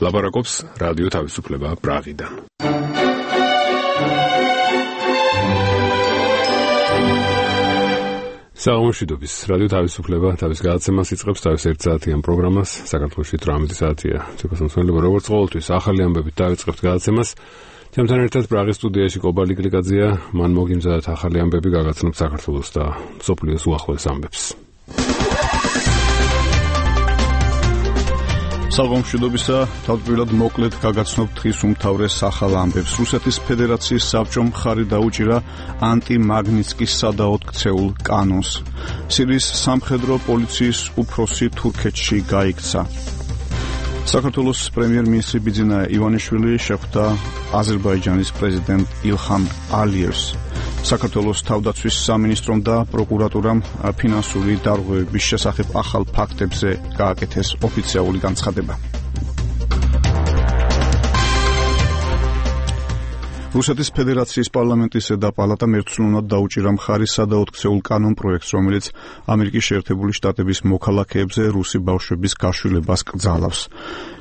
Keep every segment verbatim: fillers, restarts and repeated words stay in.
ლაპარაკობს რადიო თავისუფლება პრაღიდან. საომშვიდობის რადიო თავისუფლება თავის გადაცემას იწყებს თავის ერთსაათიან პროგრამას. საქართველოში თვრამეტი საათია. ცეკასამსხმელებო, როგორც ყოველთვის ახალი ამბებით დავიწყებთ გადაცემას. ჩემთან ერთად პრაღის სტუდიაში კობალი გლიკაძეა, მან მოგიმზადათ ახალი ამბები გაგაცნობთ საქართველოს და მსოფლიოს უახლოეს ამბებს. საღამოშვიდობისა, თავდაპირველად მოკლედ გაგაცნობთ დღის უმთავრეს ახალ ამბებს. რუსეთის ფედერაციის საბჭომ მხარი დაუჭირა ანტიმაგნიტსკის სადაოდ ქცეულ კანონს. სირიის სამხედრო პოლიციის უფროსი თურქეთში გაიქცა. საქართველოს პრემიერ-მინისტრი ბიძინა ივანიშვილი შეხვდა აზერბაიჯანის პრეზიდენტ ილჰამ ალიევს. საქართველოს თავდაცვის სამინისტრომ და პროკურატურამ ფინანსური დარღვევების შესახებ ახალ ფაქტებზე გააკეთეს ოფიციალური განცხადება. რუსეთის ფედერაციის პარლამენტის და პალატამ ერთსულოვნად დაუჭირა მხარი სადაოდ ქცეულ კანონ პროექტს, რომელიც ამერიკის შეერთებული შტატების მოქალაქეებზე რუსი ბავშვების გაშვილებას კრძალავს.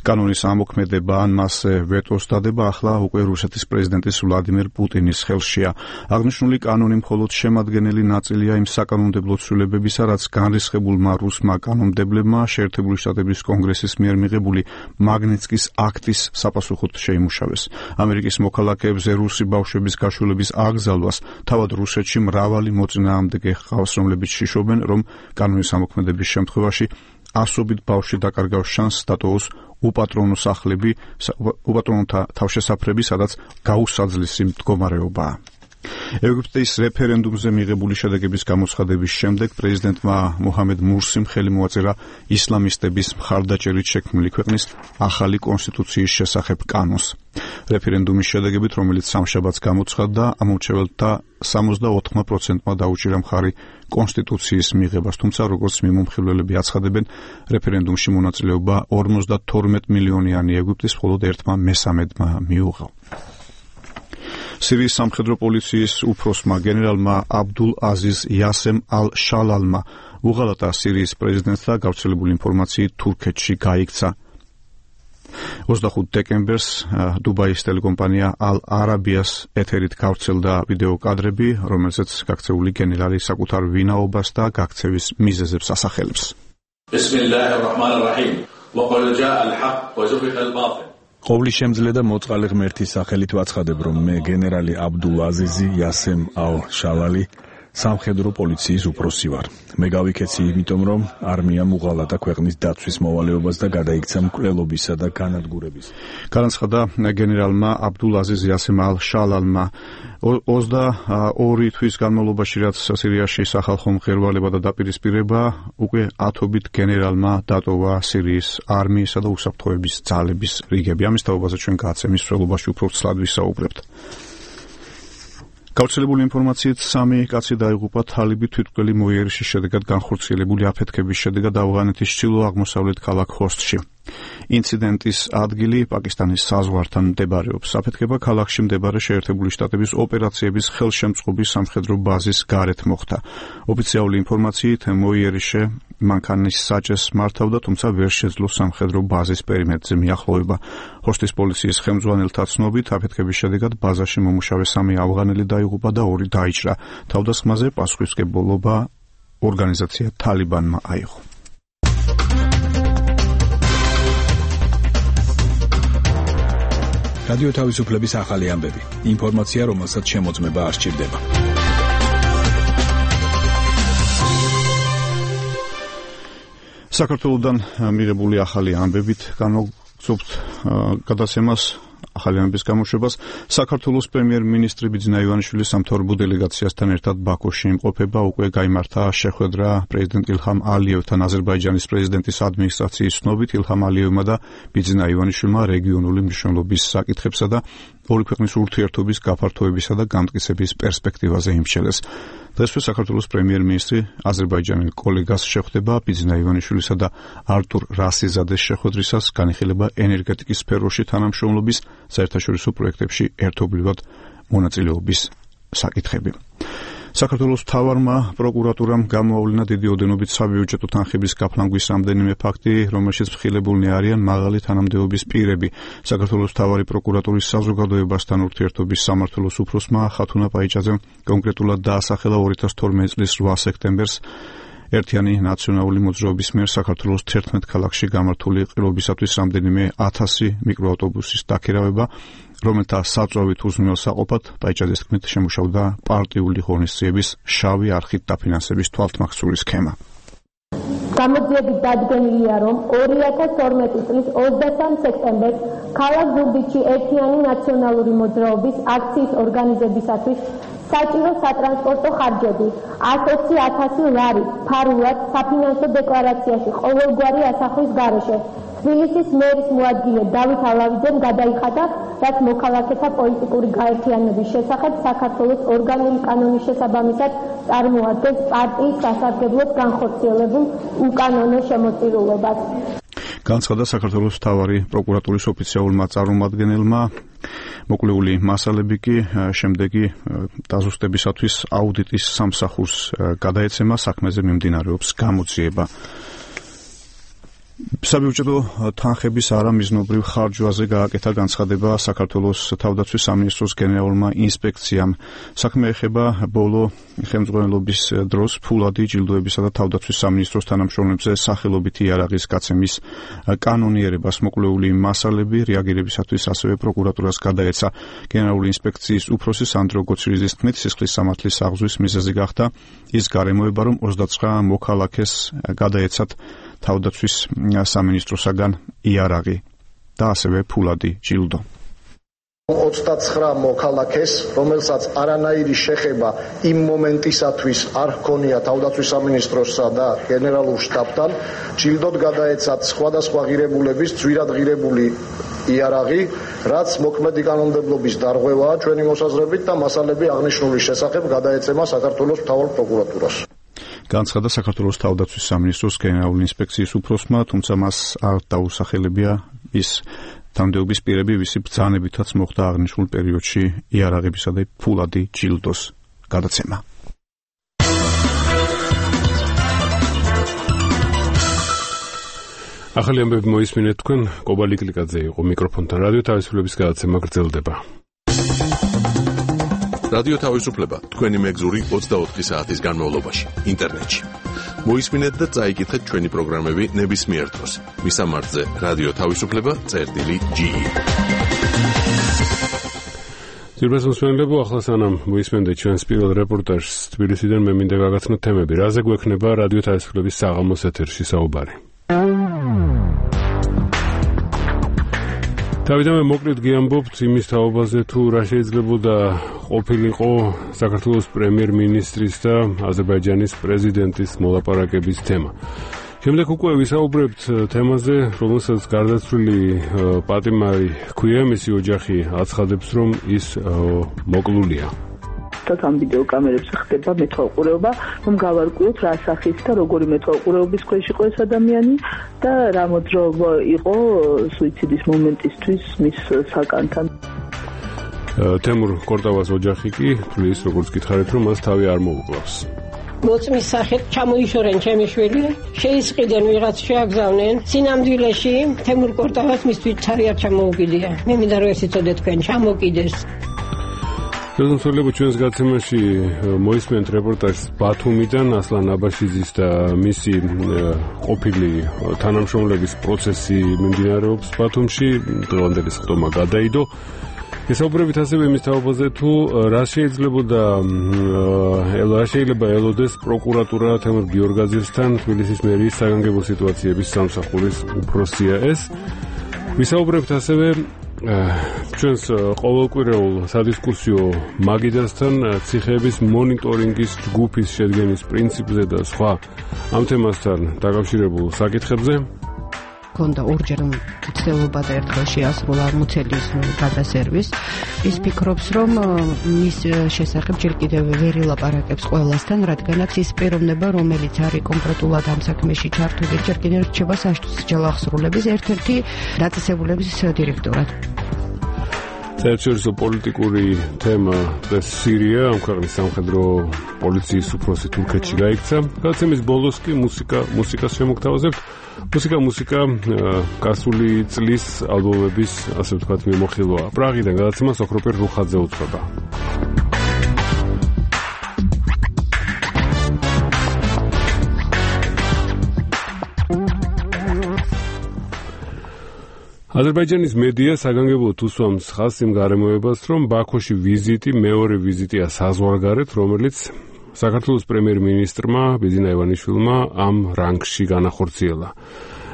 კანონის ამოქმედება ან მასზე ვეტოს დადება ახლა უკვე რუსეთის პრეზიდენტის ვლადიმერ პუტინის ხელშია. აღნიშნული კანონი მხოლოდ შემადგენელი ნაწილია იმ საკანონმდებლო ცვლილებებისა, რაც განრისხებულმა რუსმა კანონმდებლებმა შეერთებული შტატების კონგრესის მიერ მიღებული მაგნიტსკის აქტის საპასუხოდ შეიმუშავეს. ამერიკის მოქალაქეებზე რუსი ბავშვების გაშვილების აკრძალვას თავად რუსეთში მრავალი მოწინააღმდეგე ჰყავს, რომლებიც შიშობენ, რომ კანონის ამოქმედების შემთხვევაში ასობით ბავშვი დაკარგავს შანსს დატოვოს უპატრონო სახლები, უპატრონოთა თავშესაფრები, სადაც გაუსაძლისი მდგომარეობაა. ეგვიპტის რეფერენდუმზე მიღებული შედეგების გამოცხადების შემდეგ პრეზიდენტმა მოჰამედ მურსიმ ხელი მოაწერა ისლამისტების მხარდაჭერით შექმნილი ქვეყნის ახალი კონსტიტუციის შესახებ კანონს. რეფერენდუმის შედეგებით, რომელიც სამშაბათს გამოცხადდა, ამორჩეველთა სამოცდაოთხ პროცენტმა დაუჭირა მხარი კონსტიტუციის მიღებას, თუმცა როგორც მიმომხილველები აცხადებენ, რეფერენდუმში მონაწილეობა ორმოცდათორმეტ მილიონიანი ეგვიპტის მხოლოდ ერთმა მესამედმა მიუღო. სირიის სამხედრო პოლიციის უფროსმა გენერალმა აბდულ აზიზ იასემ ალ-შალალმა უღალატა სირიის პრეზიდენტს და გავრცელებული ინფორმაციით თურქეთში გაიქცა. ოცდახუთ დეკემბერს დუბაის ტელეკომპანია ალ-არაბიას ეთერით გავრცელდა ვიდეო კადრები, რომელზეც გაქცეული გენერალი საკუთარ ვინაობას და გაქცევის მიზეზებს ასახელებს. ბისმილლაჰირ-რაჰმანირ-რაჰიმ. وقد جاء الحق وزهق الباطل. ყოვლის შემძლე და მოწყალე ღმერთის სახელით ვაცხადებ, რომ მე გენერალი აბდულ აზიზი იასემ ალ-შალალი სამხედრო პოლიციის უფროსი ვარ. მე გავიქეცი იმიტომ, რომ არმიამ უღალატა ქვეყნის დაცვის მოვალეობას და გადაიქცა მკვლელობისა და განადგურების. განაცხადა გენერალმა აბდულ აზიზ იასემ ალ-შალალმა. ოცდაორი თვის განმავლობაში, რაც სირიაში სახალხო მღერვალება და დაპირისპირება, უკვე ათობით გენერალმა დატოვა სირიის არმიისა და უსაფრთხოების ძალების რიგები. ამის თაობაზე ჩვენ გადაცემის მსვლელობაში უფრო ცლად ვისაუბრებთ. გავრცელებული ინფორმაციით სამი კაცი დაიღუპა თალიბი თვითმკვლელი მოიერიშის შედეგად განხორციელებული აფეთქების შედეგად ავღანეთის ჩრდილო-აღმოსავლეთ ქალაქ ხოსტში. ინციდენტის ადგილი პაკისტანის საზღვართან მდებარეობს. აფეთქება ქალაქში მდებარე შეერთებული შტატების ოპერაციების ხელშემწყობის სამხედრო ბაზის გარეთ მოხდა. ოფიციალური ინფორმაციით მოიერიშე მანქანის საჭეს მართავდა, თუმცა ვერ შეძლო სამხედრო ბაზის პერიმეტრზე მიახლოვება. ხოსტის პოლიციის ხელმძღვანელთა ცნობით, აფეთქების შედეგად ბაზაში მომუშავე სამი ავღანელი დაიღუპა და ორი დაიჭრა. თავდასხმაზე პასუხისმგებლობა ორგანიზაცია თალიბანმა აიღო. რადიო თავისუფლების ახალი ამბები. ინფორმაცია, რომელსაც შემოწმება არ სჭირდება. საქართველოსთან მიღებული ახალი ამბებით განვაგრძობთ გადაცემას ახალი ამბების გამოშვებას. საქართველოს პრემიერ-მინისტრი ბიძინა ივანიშვილი სამთავრობო დელეგაციასთან ერთად ბაქოში იმყოფება. უკვე გაიმართა შეხვედრა პრეზიდენტ ილჰამ ალიევთან. აზერბაიჯანის პრეზიდენტის ადმინისტრაციის ცნობით, ილჰამ ალიევმა და ბიძინა ივანიშვილმა რეგიონული მნიშვნელობის საკითხებსა და ორი ქვეყნის ურთიერთობის გაფართოებისა და განმტკიცების პერსპექტივაზე იმსჩელეს. დღესვე საქართველოს პრემიერ-მინისტრი აზერბაიჯანელ კოლეგას შეხვდება. ბიძინა ივანიშვილისა და არტურ რასიზადეს შეხვედრისას განიხილება ენერგეტიკის სფეროში თანამშრომლობის საერთაშორისო პროექტებში ერთობლივად მონაწილეობის საკითხები. საქართველოს მთავარმა პროკურატურამ გამოავლინა დიდი ოდენობით საბიუჯეტო თანხების გაფლანგვის რამდენიმე ფაქტი, რომელშიც მხილებულნი არიან მაღალი თანამდებობის პირები. საქართველოს მთავარი პროკურატურის საზოგადოებასთან ურთიერთობის სამმართველოს უფროსმა ხათუნა პაიჭაძემ კონკრეტულად დაასახელა ორი ათას თორმეტი წლის რვა სექტემბერს ერთიანი ნაციონალური მოძრაობის მიერ საქართველოს თერთმეტ ქალაქში გამართული ყრილობისათვის რამდენიმე ათასი მიკროავტობუსის დაქირავება, რომელთა საწვავით უზრუნველსაყოფად პაიჭაძის თქმით შემუშავდა პარტიული ღონისძიების შავი არხით დაფინანსების თვალთმაქცური სქემა. გამოძიებით დადგენილია, რომ ორი ათას თორმეტი წლის ოცდასამ სექტემბერს ქალაქ ზუგდიდში ერთიანი ნაციონალური მოძრაობის აქციის ორგანიზებისათვის საჭირო სატრანსპორტო ხარჯები ათს ოცი ათასი ლარი ფარულად საფინანსო დეკლარაციაში ყოველგვარი ასახვის გარეშე თბილისის მერის მოადგილე დავით ალავიძემ გადაიხადა, რაც მოქალაქეთა პოლიტიკური გაერთიანების შესახებ საქართველოს ორგანული კანონის შესაბამისად წარმოადგენს პარტიის სასარგებლოდ განხორციელებულ უკანონო შემოწირულობას. განცხადა საქართველოს მთავარი პროკურატურის ოფიციალურმა წარმომადგენელმა. მოკლეული მასალები კი შემდეგი დაზუსტებისათვის აუდიტის სამსახურს გადაეცემა, საქმეზე მიმდინარეობს გამოძიება. საბიუჯეტო თანხების არამიზნობრივ ხარჯვაზე გააკეთა განცხადება საქართველოს თავდაცვის სამინისტროს გენერალურმა ინსპექციამ. საქმე ეხება ბოლო ხელმძღვანელობის დროს ფულადი ჯილდოებისა და თავდაცვის სამინისტროს თანამშრომლებზე სახელობით იარაღის გაცემის კანონიერებას. მოკლეული მასალები რეაგირებისათვის ასევე პროკურატურას გადაეცა. გენერალური ინსპექციის უფროსი სანდრო გოცირიძის თქმით, სისხლის სამართლის აღზრდის მიზეზი გახდა ის გარემოება, რომ ოცდაცხრა მოქალაქეს გადაეცათ თავდაცვის სამინისტროსაგან იარაღი და ასევე ფულადი ჯილდო. ოცდაცხრა მოქალაქეს, რომელსაც არანაირი შეხება იმ მომენტისათვის არ ჰქონია თავდაცვის სამინისტროსა და გენერალურ შტაბთან, ჯილდოდ გადაეცათ სხვადასხვა ღირებულების ძვირად ღირებული იარაღი, რაც მოქმედი კანონმდებლობის დარღვევაა ჩვენი მოსაზრებით და მასალები აღნიშნული შესახებ გადაეცემა საქართველოს მთავარ პროკურატურას. განცხადა საქართველოს თავდაცვის სამინისტროს გენერალური ინსპექციის უფროსმა, თუმცა მას არ დაუსახელებია ის თანამდებობის პირები, ვისი ბრძანებითაც მოხდა აღნიშნულ პერიოდში იარაღებისა და ფულადი ჯილდოს გადაცემა. ახალი ამბები მოისმინეთ თქვენ, კობალი კლიკაძე იყო მიკროფონთან, რადიო თავისუფლების გადაცემა გრძელდება. რადიო თავისუფლება თქვენი მეგზური ოცდაოთხი საათის განმავლობაში ინტერნეტში. მოისმინეთ და წაიკითხეთ ჩვენი პროგრამები ნებისმიერ დროს. მისამართზე რადიო თავისუფლება წერტილი ჯი. ძირფას მოსმენლებო, ახლა სანამ მოისმენდეთ ჩვენს პირველ რეპორტაჟს თბილისიდან, მე მინდა გაგაცნოთ თემები, რაზე გვექნება რადიო თავისუფლების საღამოს ეთერში საუბარი. თავიდანვე მოკლედ გიამბობთ იმის თაობაზე, თუ რა შეიძლებოდა ყოფილიყო საქართველოს პრემიერ-მინისტრის და აზერბაიჯანის პრეზიდენტის მოლაპარაკების თემა. შემდეგ უკვე ვისაუბრებთ თემაზე, რომელსაც გარდაცვლილი პატიმარი ჰქვია, მისი ოჯახი აცხადებს, რომ ის მოკლულია. ამ ვიდეო კამერებს ხდება მეთვალყურეობა, რომ გავარკვიოთ რა სახის და როგორი მეთვალყურეობის ქვეშ იყო ეს ადამიანი და რა მოძრაობა იყო სუიციდის მომენტისთვის მის საკანთან. თემურ კორტავას ოჯახი კი თulis როგორც გითხარით, რომ მას თავი არ მოუკლავს. მოწმის სახით ჩამოიშორენ ჩემი შვილი, შეისყიდენ ვიღაც შეაგზავნენ სინამდვილეში თემურ კორტავას მისთვის თავი არ ჩამოუგილია. მე მინდა რომ ეს იცოდეთ თქვენ, ჩამოკიდეს. ზოგადად ჩვენს გაცემაში მოისმენთ რეპორტაჟს ბათუმიდან, ასლან აბაშიძის და მისი ყოფილი თანამშრომლების პროცესი მიმდინარეობს ბათუმში, დღევანდელი სხდომა გადაიდო. ესაუბრებით ასევე იმის თაობაზე, თუ რა შეიძლებოდა რა შეიძლება ელოდეს პროკურატურა თემურ გიორგაძესთან, თბილისის მერიის საგანგებო სიტუაციების სამსახურის უფროსია ეს. ვისაუბრებთ ასევე ჩვენს ყოველკვირეულ სადისკუსიო მაგიდასთან ციხეების მონიტორინგის ჯგუფის შედგენის პრინციპზე და სხვა ამ თემასთან დაკავშირებულ საკითხებზე. კონდა ორჯერ მცდელობა და ერთხელ შეასრულა მუცელის გადასერვის. ის ფიქრობს, რომ მის შესახებ ჯერ კიდევ ვერ ელაპარაკებს ყველასთან, რადგანაც ის პიროვნება, რომელიც არის კონკრეტულად ამ საქმეში ჩართული, ჯერ კიდევ რჩება საშუალო ახსრულების ერთ-ერთი დაწესებულების დირექტორად. საერთაშორისო პოლიტიკური თემა დღეს სირია, ამ ქვეყნის სამხედრო პოლიციის უფროსი თურქეთში გაიქცა. გადაცემის ბოლოს კი მუსიკა, მუსიკას შემოგთავაზებთ. მუსიკა, მუსიკა გასული წლის ალბომების, ასე ვთქვათ, მიმოხილვაა. პრაღიდან გადაცემას ოქროპირ რუხაძე უძღვება. აზერბაიჯანის მედია საგანგებოდ უსვამს ხაზს იმ გარემოებას, რომ ბაქოში ვიზიტი მეორე ვიზიტია საზღვარგარეთ, რომელიც საქართველოს პრემიერ-მინისტრმა ბიძინა ივანიშვილმა ამ რანგში განახორციელა.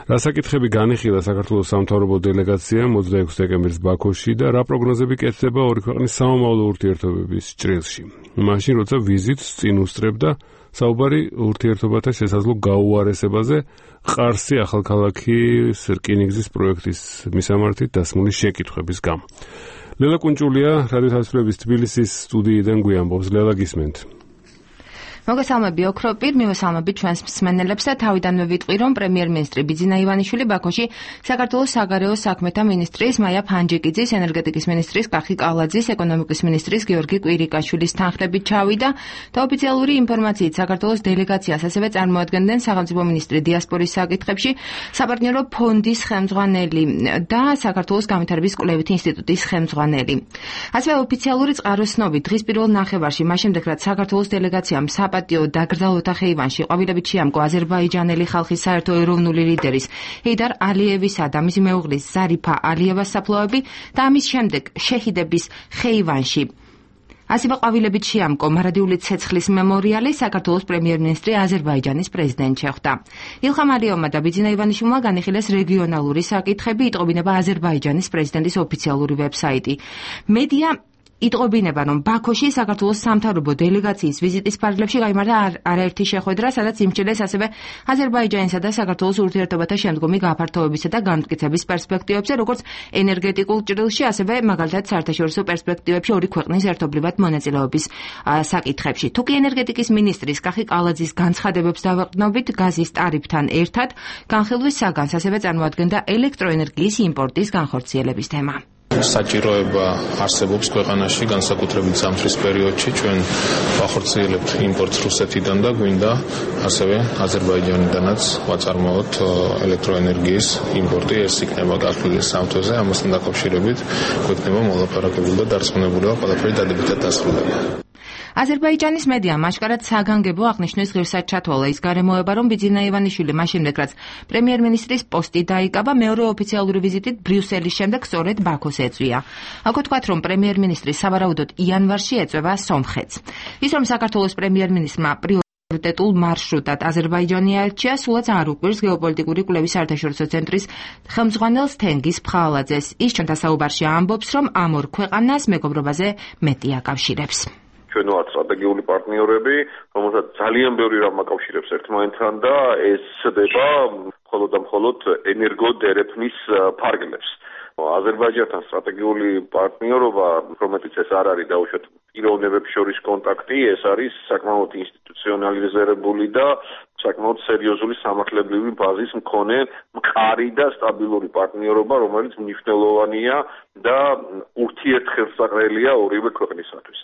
რა საკითხები განიხილა საქართველოს სამთავრობო დელეგაციამ ოცდაექვსი დეკემბრის ბაქოში და რა პროგნოზები კეთდება ორი ქვეყნის სამომავლო ურთიერთობების ჭრილში. მაშინ, როცა ვიზიტს წინ უსწრებდა საუბარი ურთიერთობათა შესაძლო გაუარესებაზე ყარსი ახალქალაქის რკინიგზის პროექტის მისამართით დასმული შეკითხვების გამო. ლელა კუნჭულია რადიო თავისუფლების თბილისის სტუდიიდან გვიამბობს. ლელა, გისმენთ? მოგესალმები ოქროპირ, მივესალმები ჩვენს მსმენელებს და თავიდანვე ვიტყვი, რომ პრემიერ-მინისტრი ბიძინა ივანიშვილი ბაქოში საქართველოს საგარეო საქმეთა მინისტრის მაია ფანჯიკიძის, ენერგეტიკის მინისტრის კახი კალაძის, ეკონომიკის მინისტრის გიორგი კვირიკაშვილის თანხლებით ჩავიდა და ოფიციალური ინფორმაციით საქართველოს დელეგაციას ასევე წარმოადგენდნენ სახელმწიფო მინისტრი დიასპორის საკითხებში, საპარტნიორო ფონდის ხელმძღვანელი და საქართველოს განვითარების კვლევით ინსტიტუტის ხელმძღვანელი. ასევე ოფიციალური წყაროსნობით დღის პირველ ნახევარში, მას შემდეგ რაც საქართველოს დელეგაციამ საპატიო დაკრძალვათა ხეივანში ყვავილებით შეამკო აზერბაიჯანელი ხალხის საერთო ეროვნული ლიდერის ჰეიდარ ალიევისა და მისი მეუღლის ზარიფა ალიევას საფლავები და ამის შემდეგ შეჰიდების ხეივანში ასევე ყვავილებით შეამკო მარადიული ცეცხლის მემორიალი საქართველოს პრემიერ-მინისტრი აზერბაიჯანის პრეზიდენტ შეხვდა. ილხამ ალიევმა და ბიძინა ივანიშვილმა განიხილეს რეგიონალური საკითხები, იტყობინება აზერბაიჯანის პრეზიდენტის ოფიციალური ვებსაიტი. მედია იტყობინება, რომ ბაქოში საქართველოს სამთავრობო დელეგაციის ვიზიტის ფარგლებში გაიმართა არაერთი შეხვედრა, სადაც იმსჯელეს ასევე აზერბაიჯანისა და საქართველოს ურთიერთობათა შემდგომი გაფართოებისა და განმტკიცების პერსპექტივებზე, როგორც ენერგეტიკულ ჭრილში, ასევე მაგალითად საერთაშორისო პერსპექტივებში ორი ქვეყნის ერთობლივად მონაწილეობის საკითხებში. თუკი ენერგეტიკის მინისტრის კახი კალაძის განცხადებებს დავაყრდნობით, გაზის ტარიფთან ერთად განხილვის საგანს ასევე წარმოადგენდა ელექტროენერგიის იმპორტის განხორციელების თემა. საჭიროება არსებობს ქვეყანაში, განსაკუთრებით ზამთრის პერიოდში ჩვენ ვახორციელებთ იმპორტს რუსეთიდან და გვინდა ასევე აზერბაიჯანიდანაც ვაწარმოოთ ელექტროენერგიის იმპორტი. ეს იქნება გასული სამთვეზე, ამასთან დაკავშირებით გვექნება მოლაპარაკებული და დარწმუნებული ყველაფერი დადებითად დასრულდება. აზერბაიჯანის მედიამ აშკარად საგანგებო აღნიშნვის ღირსად ჩათვალა ის გარემოება, რომ ბიძინა ივანიშვილი მას შემდეგ, რაც პრემიერ-მინისტრის პოსტი დაიკავა, მეორე ოფიციალური ვიზიტით ბრიუსელის შემდეგ სწორედ ბაქოს ეწვია. აქვე თქვათ, რომ პრემიერ-მინისტრი სავარაუდოდ იანვარში ეწვევა სომხეთს. ის, რომ საქართველოს პრემიერ-მინისტრმა პრიორიტეტულ მარშრუტად აზერბაიჯანი აირჩია, სულაც არ უყვირს გეოპოლიტიკური კვლევის საერთაშორისო ცენტრის ხელმძღვანელს თენგიზ ფხალაძეს. ის ჩვენთან საუბარში ამბობს, რომ ამ ორ ქვეყანას მეგობრობაზე მეტი აკავშირებს. ჩვენ ვართ სტრატეგიული პარტნიორები, რომელსაც ძალიან ბევრი რამ აკავშირებს ერთმანეთთან და ეს ხდება მხოლოდ და მხოლოდ ენერგოდერეფნის ფარგლებს. აზერბაიჯანთან სტრატეგიული პარტნიორობა, რომელიც ეს არ არის დაუშვათ პიროვნებებს შორის კონტაქტი, ეს არის საკმაოდ ინსტიტუციონალიზებული და საკმაოდ სერიოზული სამართლებრივი ბაზის მქონე მყარი და სტაბილური პარტნიორობა, რომელიც მნიშვნელოვანია და ურთიერთხელსაყრელია ორივე ქვეყნისათვის.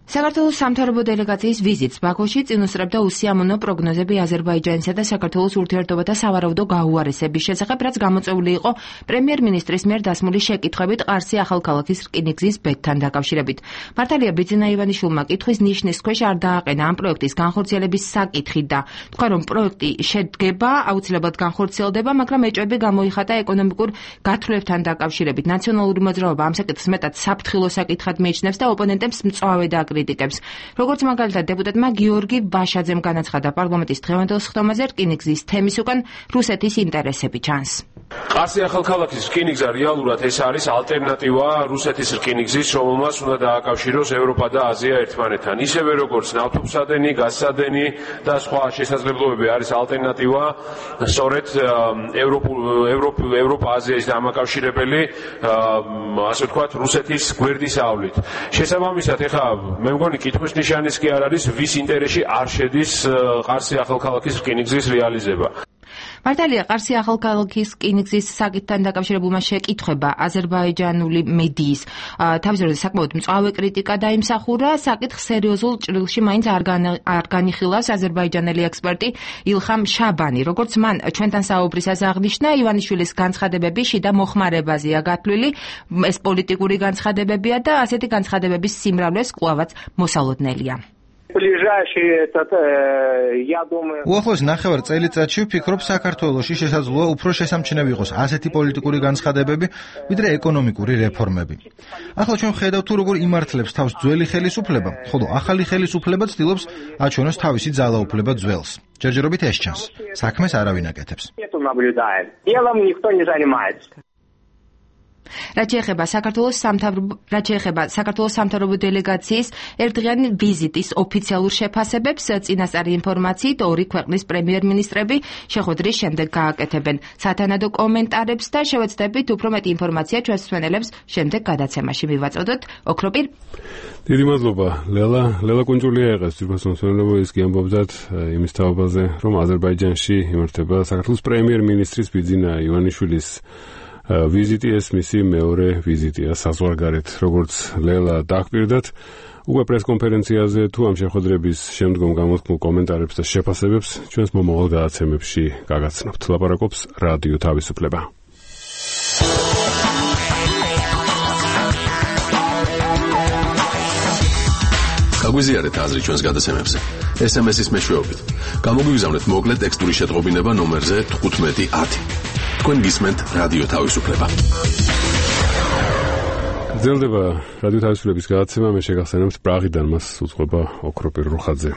საქართველოს სამთავრობო დელეგაციის ვიზიტს ბაქოში წინ უსწრებდა უსიამოვნო პროგნოზები აზერბაიჯანისა და საქართველოს ურთიერთობათა სავარაუდო გაუარესების შესახებ, რაც გამოწვეული იყო პრემიერ-მინისტრის მიერ დასმული შეკითხვებით ყარსი ახალქალაქის რკინიგზის ბედთან დაკავშირებით. მართალია ბიძინა ივანიშვილმა კითხვის ნიშნის ქვეშ არ დააყენა ამ პროექტის განხორციელების საკითხი და თქვა, რომ პროექტი შედგება, აუცილებლად განხორციელდება, მაგრამ ეჭვები გამოიხატა ეკონომიკურ გათვლებთან დაკავშირებით. ნაციონალური მოძრაობა ამ საკითხს მეტად საფრთხილო საკითხად მიიჩნევს და ოპონენტებს მწვავე და კრიტიკებს. როგორც მაგალითად დეპუტატმა გიორგი ვაშაძემ განაცხადა პარლამენტის დღევანდელ სხდომაზე, რკინიგზის თემის უკან რუსეთის ინტერესები ჩანს. ყარსი ახალქალაქის რკინიგზა რეალურად ეს არის ალტერნატივა რუსეთის რკინიგზის, რომელმაც უნდა დააკავშიროს ევროპა და აზია ერთმანეთთან. ისევე როგორც ნავთობსადენი, გაზსადენი და სხვა შესაძლებლობები არის ალტერნატივა სწორედ ევროპა-აზიის დამაკავშირებელი, ასე ვთქვათ, რუსეთის გვერდის ავლით. შესაბამისად, ეხლა მე მგონი კითხვის ნიშანის კი არ არის, ვის ინტერესში არ შედის ყარსი ახალქალაქის რკინიგზის რეალიზება. მართალია, ყარსი ახალქალაქის რკინიგზის საკითხთან დაკავშირებულმა შეკითხვება აზერბაიჯანული მედიის თავის დროზე საკმაოდ მწვავე კრიტიკა დაიმსახურა. საკითხს სერიოზულ ჭრილში მაინც არ განიხილავს აზერბაიჯანელი ექსპერტი ილხამ შაბანი. როგორც მან ჩვენთან საუბრისას აღნიშნა, ივანიშვილის განცხადებები შიდა მოხმარებაზეა გათვლილი. ეს პოლიტიკური განცხადებებია და ასეთი განცხადებების სიმრავლეს კვლავაც მოსალოდნელია. უახლოეს ნახევარ წელიწადში ვფიქრობ, საქართველოში შესაძლოა უფრო შესამჩნევი იყოს ასეთი პოლიტიკური განცხადებები, ვიდრე ეკონომიკური რეფორმები. ახლა ჩვენ ვხედავთ თუ როგორ იმართლებს თავს ძველი ხელისუფლება, ხოლო ახალი ხელისუფლება ცდილობს აჩვენოს თავისი ძალაუფლება ძველს. ჯერჯერობით ეს ჩანს. საქმეს არავინ აკეთებს. რაც შეეხება საქართველოს სამთავრობო რაც შეეხება საქართველოს სამთავრობო დელეგაციის ერთდღიანი ვიზიტის ოფიციალურ შეფასებებს, წინასწარი ინფორმაციით ორი ქვეყნის პრემიერ-მინისტრები შეხვედრის შემდეგ გააკეთებენ სათანადო კომენტარებს და შევეცდებით უფრო მეტი ინფორმაცია ჩვენს მსმენელებს შემდეგ გადაცემაში მივაწოდოთ. ოქროპირ. დიდი მადლობა, ლელა. ლელა კუნჭულია եղეს თვითონ მსმენელებო, ის გიამბობდათ იმის თაობაზე, რომ აზერბაიჯანში იმართება საქართველოს პრემიერ-მინისტრის ბიძინა ივანიშვილის ვიზიტი, ეს მისი მეორე ვიზიტია საზღვარგარეთ, როგორც ლელა დაგვირდათ. უკვე პრესკონფერენციაზე თუ ამ შეხვედრების შემდგომ გამოთქმულ კომენტარებს და შეფასებებს ჩვენს მომავალ გადაცემებში გაგაცნობთ. ლაპარაკობს რადიო თავისუფლება. გაგვიზიარეთ აზრი ჩვენს გადაცემებზე. ეს em es-ის მეშვეობით. გამოგვიგზავნეთ მოკლე ტექსტური შეტყობინება ნომერზე თხუთმეტი ათი. თქვენ გისმენთ რადიო თავისუფლება. გრძელდება რადიო თავისუფლების გადაცემა, მე შეგახსენებთ პრაღიდან მას უძღვება ოქროპირ რუხაძე.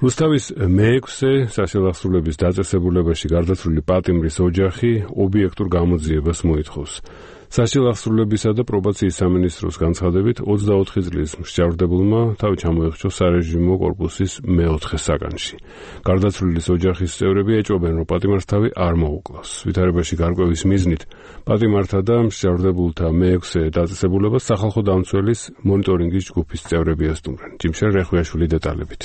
რუსთავის მეექვსე საშინააღმდეგობის დაწესებულებაში გარდაცვლილი პატიმრის ოჯახი ობიექტურ გამოძიებას მოითხოვს. საშინააღმდეგობისა და პრობაციის სამინისტროს განცხადებით ოცდაოთხი წლის მსჯავრდებულმა თავი ჩამოეხჩო სარეჟიმო კორპუსის მეოთხე საგანში. გარდაცვლილის ოჯახის წევრები ეჭვობენ, რომ პატიმარს თავი არ მოუკლავს. ვითარებაში გარკვევის მიზნით პატიმართა და მსჯავრდებულთა მეექვსე დაწესებულებას სახალხო დამცველის მონიტორინგის ჯგუფის წევრები ესტუმრენ. ჯიმშენ რეხვიაშვილი დეტალებით.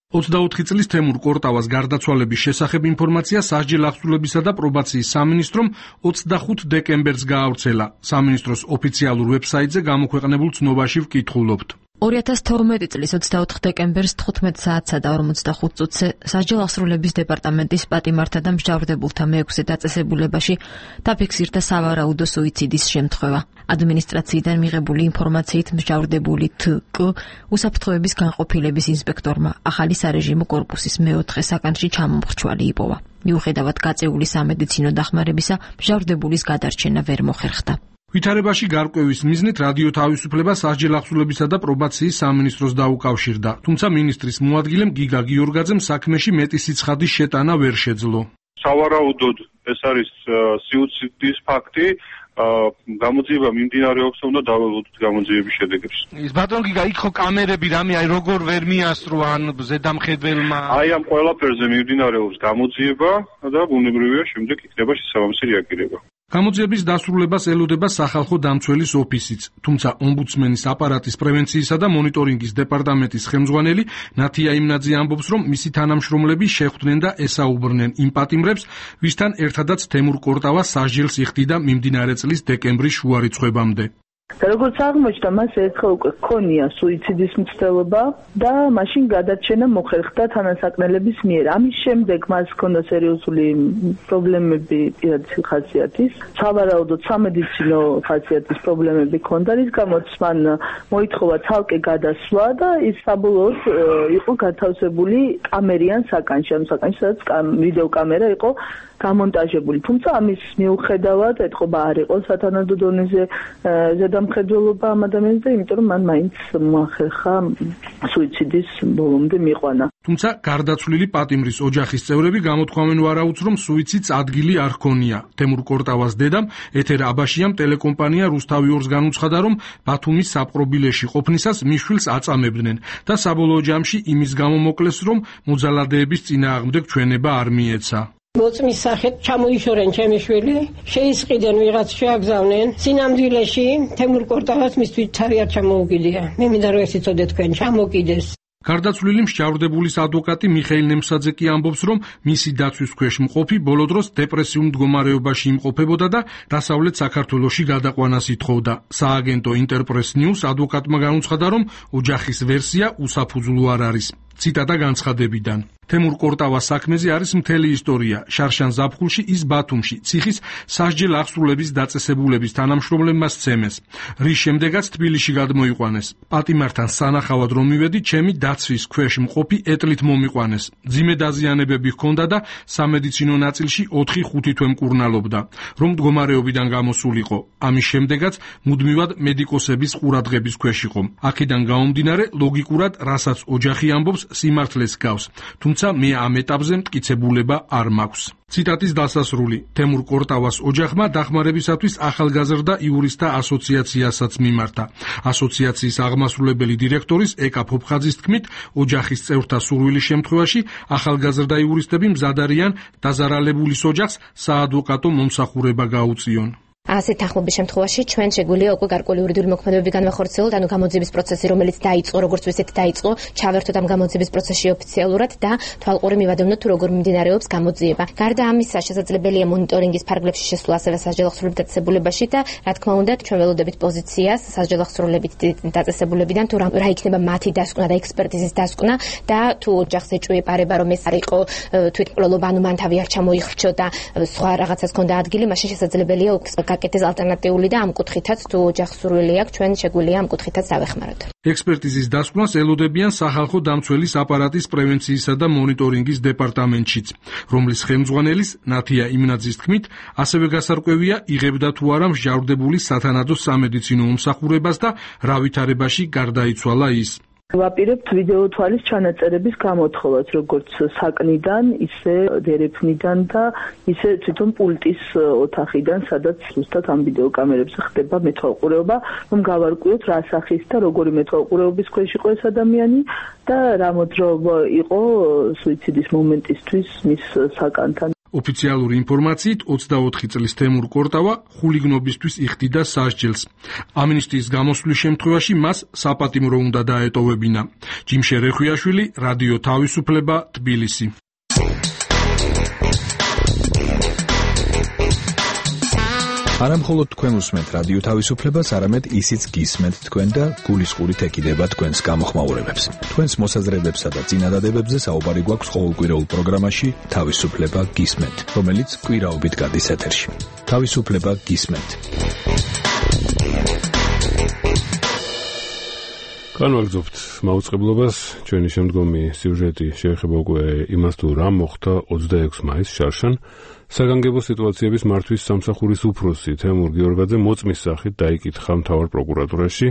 ოცდაოთხი წლის თემურ კორტავას გარდაცვალების შესახებ ინფორმაცია სასჯელ აღსრულებისა და პრობაციის სამინისტრომ ოცდახუთ დეკემბერს გაავრცელა. სამინისტროს ოფიციალურ ვებსაიტზე გამოქვეყნებულ ცნობაში ვკითხულობთ. ორი ათას თორმეტი წლის ოცდაოთხ დეკემბერს თხუთმეტ საათსა და ორმოცდახუთ წუთზე სასჯელ აღსრულების დეპარტამენტის პატიმართა და მსჯავრდებულთა მეექვსე დაწესებულებაში დაფიქსირდა სავარაუდო სუიციდის შემთხვევა. ადმინისტრაციიდან მიღებული ინფორმაციით მსჯავრდებული თკ უსაფრთხოების განყოფილების ინსპექტორმა ახალი სარეჟიმო კორპუსის მეოთხე საგანში ჩამომხრჩვალი იპოვა. მიუხედავად გაწეული სამედიცინო დახმარებისა, მსჯავრდებულის გადარჩენა ვერ მოხერხდა. ვითარებაში გარკვევის მიზნით რადიო თავისუფლება სასჯელ აღსრულებისა და პრობაციის სამინისტროს დაუკავშირდა, თუმცა მინისტრის მოადგილემ გიგა გიორგაძემ საქმეში მეტი სიცხადის შეტანა ვერ შეძლო. სავარაუდოდ ეს არის სუიციდის ფაქტი. გამოძიება მიმდინარეობს, უნდა დაველოდოთ გამოძიების შედეგებს. ის ბატონ გიგა, იქ ხო კამერები რამე, აი როგორ ვერ მიასწრო ან ზედამხედველმა? აი ამ ყველაფერზე მიმდინარეობს გამოძიება და ბუნებრივია შემდეგ იქნება შესაბამისი რეაგირება. გამოძიების დასრულებას ელოდება სახალხო დამცველის ოფისიც, თუმცა ომბუდსმენის აპარატის პრევენციისა და მონიტორინგის დეპარტამენტის ხელმძღვანელი ნათია იმნაძე ამბობს, რომ მისი თანამშრომლები შეხვდნენ და ესაუბრნენ იმ პატიმრებს, ვისთან ერთადაც თემურ კორტავა სასჯელს იხდიდა მიმდინარე წლის დეკემბრის შუარიცხვებამდე. და როგორც აღმოჩნდა, მას ერთხელ უკვე ჰქონია სუიციდის მცდელობა და მაშინ გადარჩენა მოხერხდა თანასაკნელების მიერ. ამის შემდეგ მას ჰქონდა სერიოზული პრობლემები პირადი ხასიათის, სავარაუდოდ სამედიცინო ხასიათის პრობლემები ჰქონდა, რის გამოც მან მოითხოვა ცალკე გადასვლა და ის საბოლოოდ იყო გათავსებული კამერიან საკანში, ამ საკანში, სადაც ვიდეო კამერა იყო გამონტაჟებული. თუმცა ამის მიუხედავად ეთყობა არ იყო სათანადო დონეზე ზედამხედველობა ამ ადამიანზე, იმიტომ რომ მან მაინც მოახერხა სუიციდის ბოლომდე მიყვანა. თუმცა გარდაცვლილი პატიმრის ოჯახის წევრები გამოთქვამენ ვარაუდს, რომ სუიციდს ადგილი არ ჰქონია. თემურ კორტავას დედამ ეთერ აბაშიამ ტელეკომპანია რუსთავი ორს განუცხადა, რომ ბათუმის საპყრობილეში ყოფნისას მიშვილს აწამებდნენ და საბოლოო ჯამში იმის გამო მოკლეს, რომ მოძალადეების წინააღმდეგ ჩვენება არ მიეცა. მოწმის სახეთ ჩამოიშორენ ჩემი შვილი, შეისყიდენ ვიღაც შეაგზავნენ. სინამდვილეში თემურ კორტავას მისთვის თავი არ ჩამოუგიდია. მე მინდა რომ ეს იცოდე თქვენ, ჩამოკიდეს. გარდაცვლილი მსჯავრდებულის ადვოკატი მიხეილ ნემსაძე კი ამბობს, რომ მისი დაცვის ქვეშ მყოფი ბოლო დროს დეპრესიულ მდგომარეობაში იმყოფებოდა და დასავლეთ საქართველოში გადაყვანას ითხოვდა. სააგენტო ინტერპრეს ნიუს ადვოკატმა განუცხადა, რომ ოჯახის ვერსია უსაფუძვლო არ არის. ციტატა განცხადებიდან. თემურ კორტავას საქმეზე არის მთელი ისტორია. შარშან ზაფხულში ის ბათუმში ციხის სასჯელ აღსრულების დაწესებულების თანამშრომლებმა სცემეს, რის შემდეგაც თბილისში გადმოიყვანეს. პატიმართან სანახავად რომ მივედი, ჩემი დაცვის ქვეშ მყოფი ეტლით მომიყვანეს. ძიმე დაზიანებები ჰქონდა და სამედიცინო ნაწილში ოთხი ხუთი თვე მკურნალობდა, რომ მდგომარეობიდან გამოსულიყო. ამის შემდეგაც მუდმივად მედიკოსების ყურადღების ქვეშ იყო. აქედან გამომდინარე, ლოგიკურად, რასაც ოჯახი ამბობს, სიმართლეს გავს. თუმცა მე ამ ეტაპზე მტკიცებულება არ მაქვს. ციტატის დასასრული. თემურ კორტავას ოჯახმა დახმარებისათვის ახალგაზრდა იურისტთა ასოციაციასაც მიმართა. ასოციაციის აღმასრულებელი დირექტორის ეკა ფოფხაძის თქმით, ოჯახის წევრთა სურვილის შემთხვევაში ახალგაზრდა იურისტები მზად არიან დაზარალებულის ოჯახს საადვოკატო მომსახურება გაუწიონ. ასეთ თანხმობის შემთხვევაში ჩვენ შეგვიძლია უკვე გარკვეული იურიდიული მოქმედებები განვახორციელოთ, ანუ გამოძიების პროცესი, რომელიც დაიწყო, როგორც ვისით დაიწყო, ჩავერთოთ ამ გამოძიების პროცესში ოფიციალურად და თვალყური მივადევნოთ, თუ როგორ მიმდინარეობს გამოძიება. გარდა ამისა, შესაძლებელია მონიტორინგის ფარგლებში შესვლა ასევე სასჯელო აღსრულების დაწესებულებაში და, რა თქმა უნდა, ჩვენ ველოდებით პოზიციას სასჯელო აღსრულებით დაწესებულებიდან, თუ რა იქნება მათი დასკვნა და ექსპერტიზის დასკვნა და თუ ოჯახს ეჭვიებარება, რომ ეს არ იყო თვითმკვლელობა, ანუ მან თავი არ ჩამოიხრჩო და სხვა რაღაცას ჰქონდა ადგილი, მაშინ შესაძლებელია გაკეთდეს ალტერნატიული და ამ კუთხითაც თუ ოჯახს სურვილი აქვს, ჩვენ შეგვიძლია ამ კუთხითაც დავეხმაროთ. ექსპერტიზის დასკვნას ელოდებიან სახალხო დამცველის აპარატის პრევენციისა და მონიტორინგის დეპარტამენტშიც, რომლის ხელმძღვანელის ნათია იმნაძის თქმით, ასევე გასარკვევია იღებდა თუ არა მსჯავრდებულის სათანადო სამედიცინო მომსახურებას და რა ვითარებაში გარდაიცვალა ის. ვაპირებთ ვიდეო თვალის ჩანაწერების გამოთხოვას, როგორც საკნიდან, ისე დერეფნიდან და ისე თვითონ პულტის ოთახიდან, სადაც ზუსტად ამ ვიდეო კამერებზე ხდება მეთვალყურეობა, რომ გავარკვიოთ რა სახის და როგორი მეთვალყურეობის ქვეშ იყო ეს ადამიანი და რა მოძრაობა იყო სუიციდის მომენტისთვის მის საკანთან. ოფიციალური ინფორმაციით ოცდაოთხი წლის თემურ კორტავა ხულიგნობისთვის იხდიდა სასჯელს. ამნისტიის გამოსვლის შემთხვევაში მას საპატიმრო უნდა დაეტოვებინა. ჯიმშე რეხვიაშვილი, რადიო თავისუფლება, თბილისი. არამხოლოდ თქვენ უსმენთ რადიო თავისუფლებას, არამედ ისიც გისმენთ თქვენ და გულისყურით ეკიდება თქვენს გამოხმაურებებს. თქვენს მოსაზრებებსა და წინადადებებზე საუბარი გვაქვს ყოველკვირეულ პროგრამაში თავისუფლება გისმენთ, რომელიც კვირაობით გადის ეთერში. თავისუფლება გისმენთ. განვაგრძობთ მაუწყებლობას. ჩვენი შემდგომი სიუჟეტი შეეხება უკვე იმას, თუ რა მოხდა ოცდაექვსი მაისს შარშან. საგანგებო სიტუაციების მართვის სამსახურის უფროსი თემურ გიორგაძე მოწმის სახით დაიკითხა მთავარ პროკურატურაში.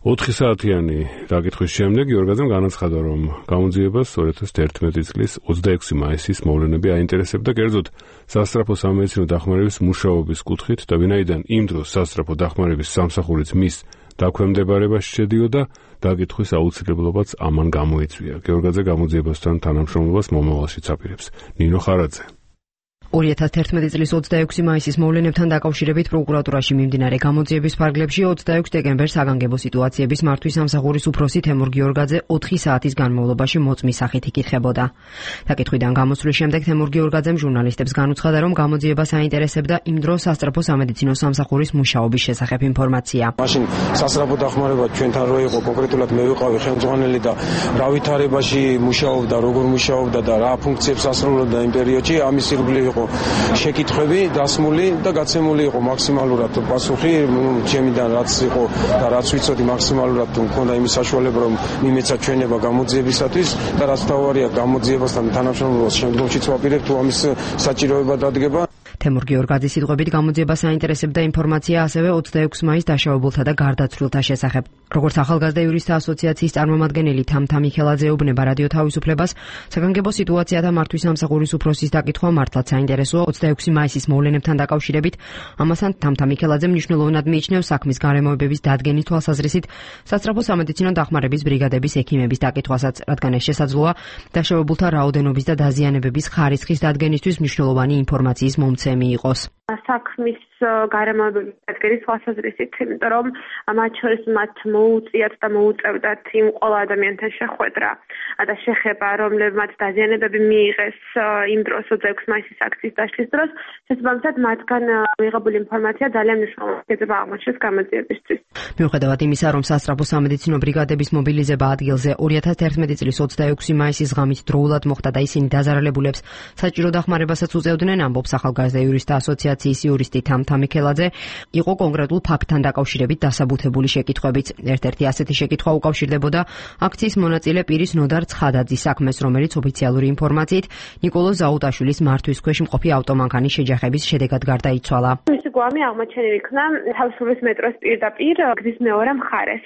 ოთხი საათიანი დაკითხვის შემდეგ გიორგაძემ განაცხადა, რომ გამოძიებას ორი ათას ერთმეტი წლის ოცდაექვსი მაისის მოვლენები აინტერესებდა, კერძოდ სასწრაფო სამედიცინო დახმარების მუშაობის კუთხით და ვინაიდან იმ დროს სასწრაფო დახმარების სამსახურიც მის დაქვემდებარებაში შედიოდა, დაკითხვის აუცილებლობაც ამან გამოიწვია. გიორგაძე გამოძიებასთან თანამშრომლობას მომავალშიც აპირებს. ნინო ხარაძე. ორი ათას ერთმეტი წლის ოცდაექვსი მაისის მოვლენებთან დაკავშირებით პროკურატურაში მიმდინარე გამოძიების ფარგლებში ოცდაექვსი დეკემბერს საგანგებო სიტუაციების მართვის სამსახურის უფროსი თემურ გიორგაძე ოთხი საათის განმავლობაში მოწმის სახით იკითხებოდა. დაკითხვიდან გამოსვლის შემდეგ თემურ გიორგაძემ ჟურნალისტებს განუცხადა, რომ გამოძიებას აინტერესებდა იმ დროს სასწრაფო სამედიცინო სამსახურის მუშაობის შესახებ ინფორმაცია. მაშინ სასწრაფო დახმარება ჩვენთან რო იყო, კონკრეტულად მე ვიყავი ხელმძღვანელი და რა ვითარებაში მუშაობდა, როგორ მუშაობდა და რა ფუნქციებს ასრულებდა იმ პერიოდში, ამის ირგვლივ იყო შეკითხვები დასმული და გაცემული იყო მაქსიმალურად პასუხი ჩემიდან, რაც იყო და რაც ვიცოდი მაქსიმალურად მქონდა იმის საშუალება, რომ მიმეცა ჩვენება გამოძიებისათვის და რაც თავარია გამოძიებასთან თანამშრომლობას შემდგომშიც ვაპირებ, თუ ამის საჭიროება დადგება. თემურ გიორგაძის სიტყვებით გამოძიებას აინტერესებდა ინფორმაცია ასევე ოცდაექვსი მაისს დაშავებულთა და გარდაცვლილთა შესახებ. როგორც ახალგაზრდა იურისტთა ასოციაციის წარმომადგენელი თამთა მიხელაძე ეუბნება რადიო თავისუფლებას, საგანგებო სიტუაციათა მართვის სამსახურის უფროსის დაკითხვა მართლაც საინტერესოა ოცდაექვსი მაისის მოვლენებთან დაკავშირებით. ამასთან თამთა მიხელაძე მნიშვნელოვნად მიიჩნევს საქმის გარემოებების დადგენის თვალსაზრისით სასწრაფო სამედიცინო დახმარების ბრიგადების ექიმების დაკითხვასაც, რადგან ეს შესაძლოა დაშავებულთა რაოდენობის და დაზიანებების ხარისხის დადგენისთვის მნიშვნელოვანი ინფორმაციის მომცემი იყოს. საქმის გარემოებების დადგენის თვალსაზრისით, იმიტომ რომ მათ შორის მათ მოუწიათ და მოუწევდათ იმ ყველა ადამიანთან შეხვედრა და შეხება, რომლებმაც დაზიანებები მიიღეს იმ დროს ექვსი მაისის აქციის დაშლის დროს, შესაბამისად მათგან მიღებული ინფორმაცია ძალიან მნიშვნელოვანი იქნება აღმოჩნდეს გამოძიებისთვის. მიუხედავად იმისა, რომ სასწრაფო სამედიცინო ბრიგადების მობილიზება ადგილზე ორი ათას თერთმეტი წლის ოცდაექვსი მაისის ღამით დროულად მოხდა და ისინი დაზარალებულებს საჭირო დახმარებასაც უწევდნენ, ამბობს ახალგაზრდა იურისტთა ასოციაციის იურისტი თამთა მიქელაძე, იყო კონკრეტულ ფაქტთან დაკავშირებით დასაბუთებული შეკითხვებიც. ერთ-ერთი ასეთი შეკითხვა უკავშირდებოდა აქციის მონაწილე პირის ნოდარ ცხადაძის საქმეს, რომელიც ოფიციალური ინფორმაციით ნიკოლოზ ზაუტაშვილის მართვის ქვეშ მყოფი ავტომანქანის შეჯახების შედეგად გარდაიცვალა. მისი გვამი აღმოჩენილი იქნა თავისუფლების მეტროს პირდაპირ გზის მეორე მხარეს.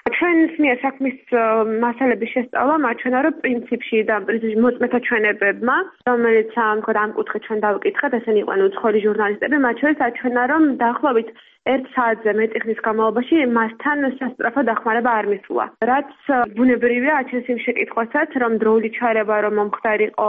ჩვენს მიერ საქმის მასალების შესწავლა მაჩვენა, რომ პრინციპში და მოწმეთა ჩვენებებმა, რომელიც ამქოდ ამ კუთხით ჩვენ დავკითხეთ, ესენი იყვნენ უცხოელი ჟურნალისტები, მათ შორის აჩვენა, რომ დაახლოებით ერთ საათზე მეტი ხნის განმავლობაში მასთან სასწრაფო დახმარება არ მისულა. რაც ბუნებრივია აჩენს იმ შეკითხვასაც, რომ დროული ჩარევა რომ მომხდარიყო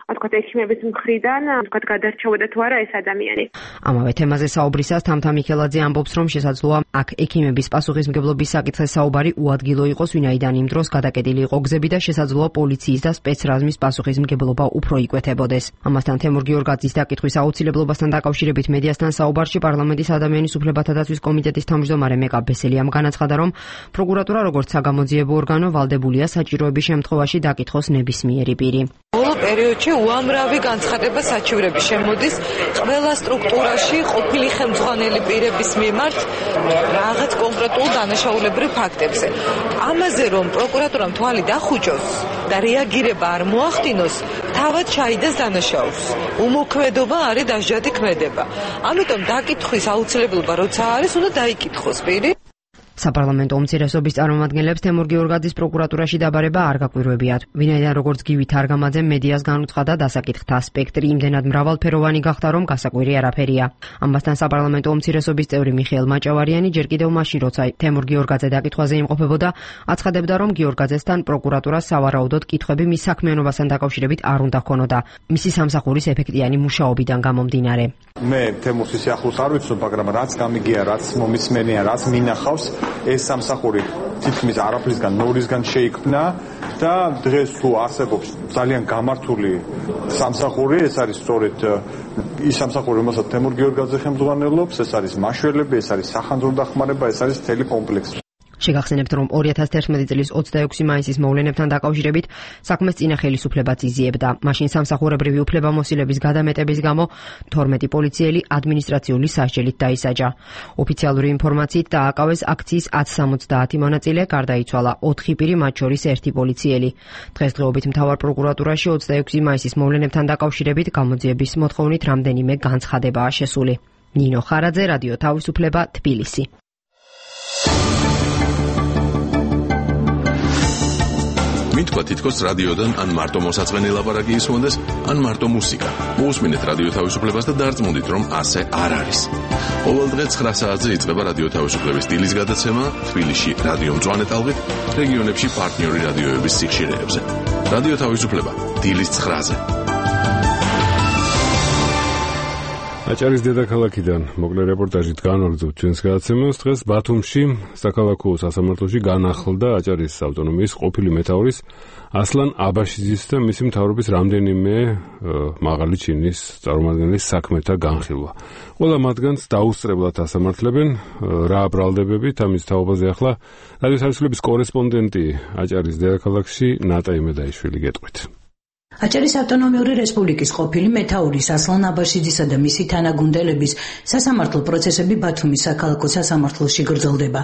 თქვათ ექიმების მხრიდან, თქვათ გადარჩებოდა თუ არა ეს ადამიანი. ამავე თემაზე საუბრისას თამთა მიქელაძე ამბობს, რომ შესაძლოა აქ ექიმების პასუხისმგებლობის საკითხზე საუბარი უადგილო იყოს, ვინაიდან იმ დროს გადაკეტილი იყო გზები და შესაძლოა პოლიციის და სპეცრაზმის პასუხისმგებლობა უფრო იკვეთებოდეს. ამასთან თემურ გიორგაძის დაკითხვის აუცილებლობასთან დაკავშირებით მედიასთან საუბარში პარლამენტის ადამიანის უფლებათა დაცვის კომიტეტის თავმჯდომარე მეკა ბესელიამ განაცხადა, რომ პროკურატურა როგორც საგამოძიებო ორგანო ვალდებულია საჭიროების შემთხვევაში დაკითხოს ნებისმიერი პირი. ბოლო პერიოდში უამრავი განცხადება საჩივრები შემოდის ყველა სტრუქტურაში ყოფილი ხელმძღვანელი პირების მიმართ რაღაც კონკრეტულ დანაშაულებრივ ფაქტებზე. ამაზე რომ პროკურატურამ თვალი დახუჭოს და რეაგირება არ მოახდინოს, თავად ჩაიდას დანაშაულს. უმოქმედობა არის დასჯადი ქმედება. ამიტომ დაკითხვის აუცილებლობა როცა არის, უნდა დაიკითხოს პირი. საპარლამენტო უმცირესობის წარმომადგენლებს თემურ გიორგაძის პროკურატურაში დაბარება არ გაკვირვებიათ. ვინაიდან როგორც გივი თარგამაძემ მედიას განუცხადა, დასაკითხთა სპექტრი იმდენად მრავალფეროვანი გახდა, რომ გასაკვირი არაფერია. ამასთან საპარლამენტო უმცირესობის წევრი მიხეილ მაჭავარიანი ჯერ კიდევ მაშინ, როცა თემურ გიორგაძე დაკითხვაზე იმყოფებოდა, აცხადებდა, რომ გიორგაძესთან პროკურატურას სავარაუდოდ კითხვები მის საქმიანობასთან დაკავშირებით არ უნდა ჰქონოდა, მისი სამსახურის ეფექტიანი მუშაობიდან გამომდინარე. მე თემურს ისე ახლოს არ ვიცნობ, მაგრამ რაც გამიგია, რაც მომისმენია, რაც მინახავს, ეს სამსახური თითქმის არაფრისგან ნორისგან შეიქმნა და დღეს თუ არსებობს ძალიან გამართული სამსახური, ეს არის სწორედ ის სამსახური, რომელსაც თემურ გიორგაძე ხელმძღვანელობს, ეს არის მაშველები, ეს არის სახანძრო დახმარება, ეს არის მთელი კომპლექსი. შეგახსენებთ, რომ ორი ათას თერთმეტი წლის ოცდაექვსი მაისის მოვლენებთან დაკავშირებით საქმეს წინა ხელისუფლებაც იზიებდა. მაშინ სამსახურებრივი უფლებამოსილების გადამეტების გამო თორმეტი პოლიციელი ადმინისტრაციული სასჯელით დაისაჯა. ოფიციალური ინფორმაციით დააკავეს აქციის ათს სამოცდაათი მონაწილე, გარდაიცვალა ოთხი პირი, მათ შორის ერთი პოლიციელი. დღესდღეობით მთავარ პროკურატურაში ოცდაექვსი მაისის მოვლენებთან დაკავშირებით გამოძიების მოთხოვნით რამდენიმე განცხადებაა შესული. ნინო ხარაძე, რადიო თავისუფლება, თბილისი. მითქვა თითქოს რადიოდან ან მარტო მოსაწყენი ლაპარაკი ისმონდეს, ან მარტო მუსიკა. მოусმინეთ რადიო თავისუფლებას და დარწმუნდით, რომ ასე არ არის. ყოველდღე ცხრა საათზე იწყება რადიო თავისუფლების დილის გადაცემა თბილისში რადიო მწვანე ტალღით, რეგიონებში პარტნიორი რადიოების სიხშირეებზე. რადიო თავისუფლება დილის ცხრაზე. აჭარის დედაქალაქიდან მოკლე რეპორტაჟით განვაგრძობთ ჩვენს გადაცემას. დღეს ბათუმში საქალაქო სასამართლოში განახლდა აჭარის ავტონომიის ყოფილი მეთაურის ასლან აბაშიძის და მისი მთავრობის რამდენიმე მაღალი ჩინის წარმომადგენლის საქმეთა განხილვა. ყველა მათგანს დაუსწრებლად ასამართლებენ. რა ბრალდებებით ამის თაობაზე ახლა რადიო თავისუფლების კორესპონდენტი აჭარის დედაქალაქში ნატა იმედაიშვილი გეტყვით. აჭარის ავტონომიური რესპუბლიკის ყოფილი მეთაურის ასლან აბაშიძისა და მისი თანაგუნდელების სასამართლო პროცესები ბათუმის საქალაქო სასამართლოში გრძელდება.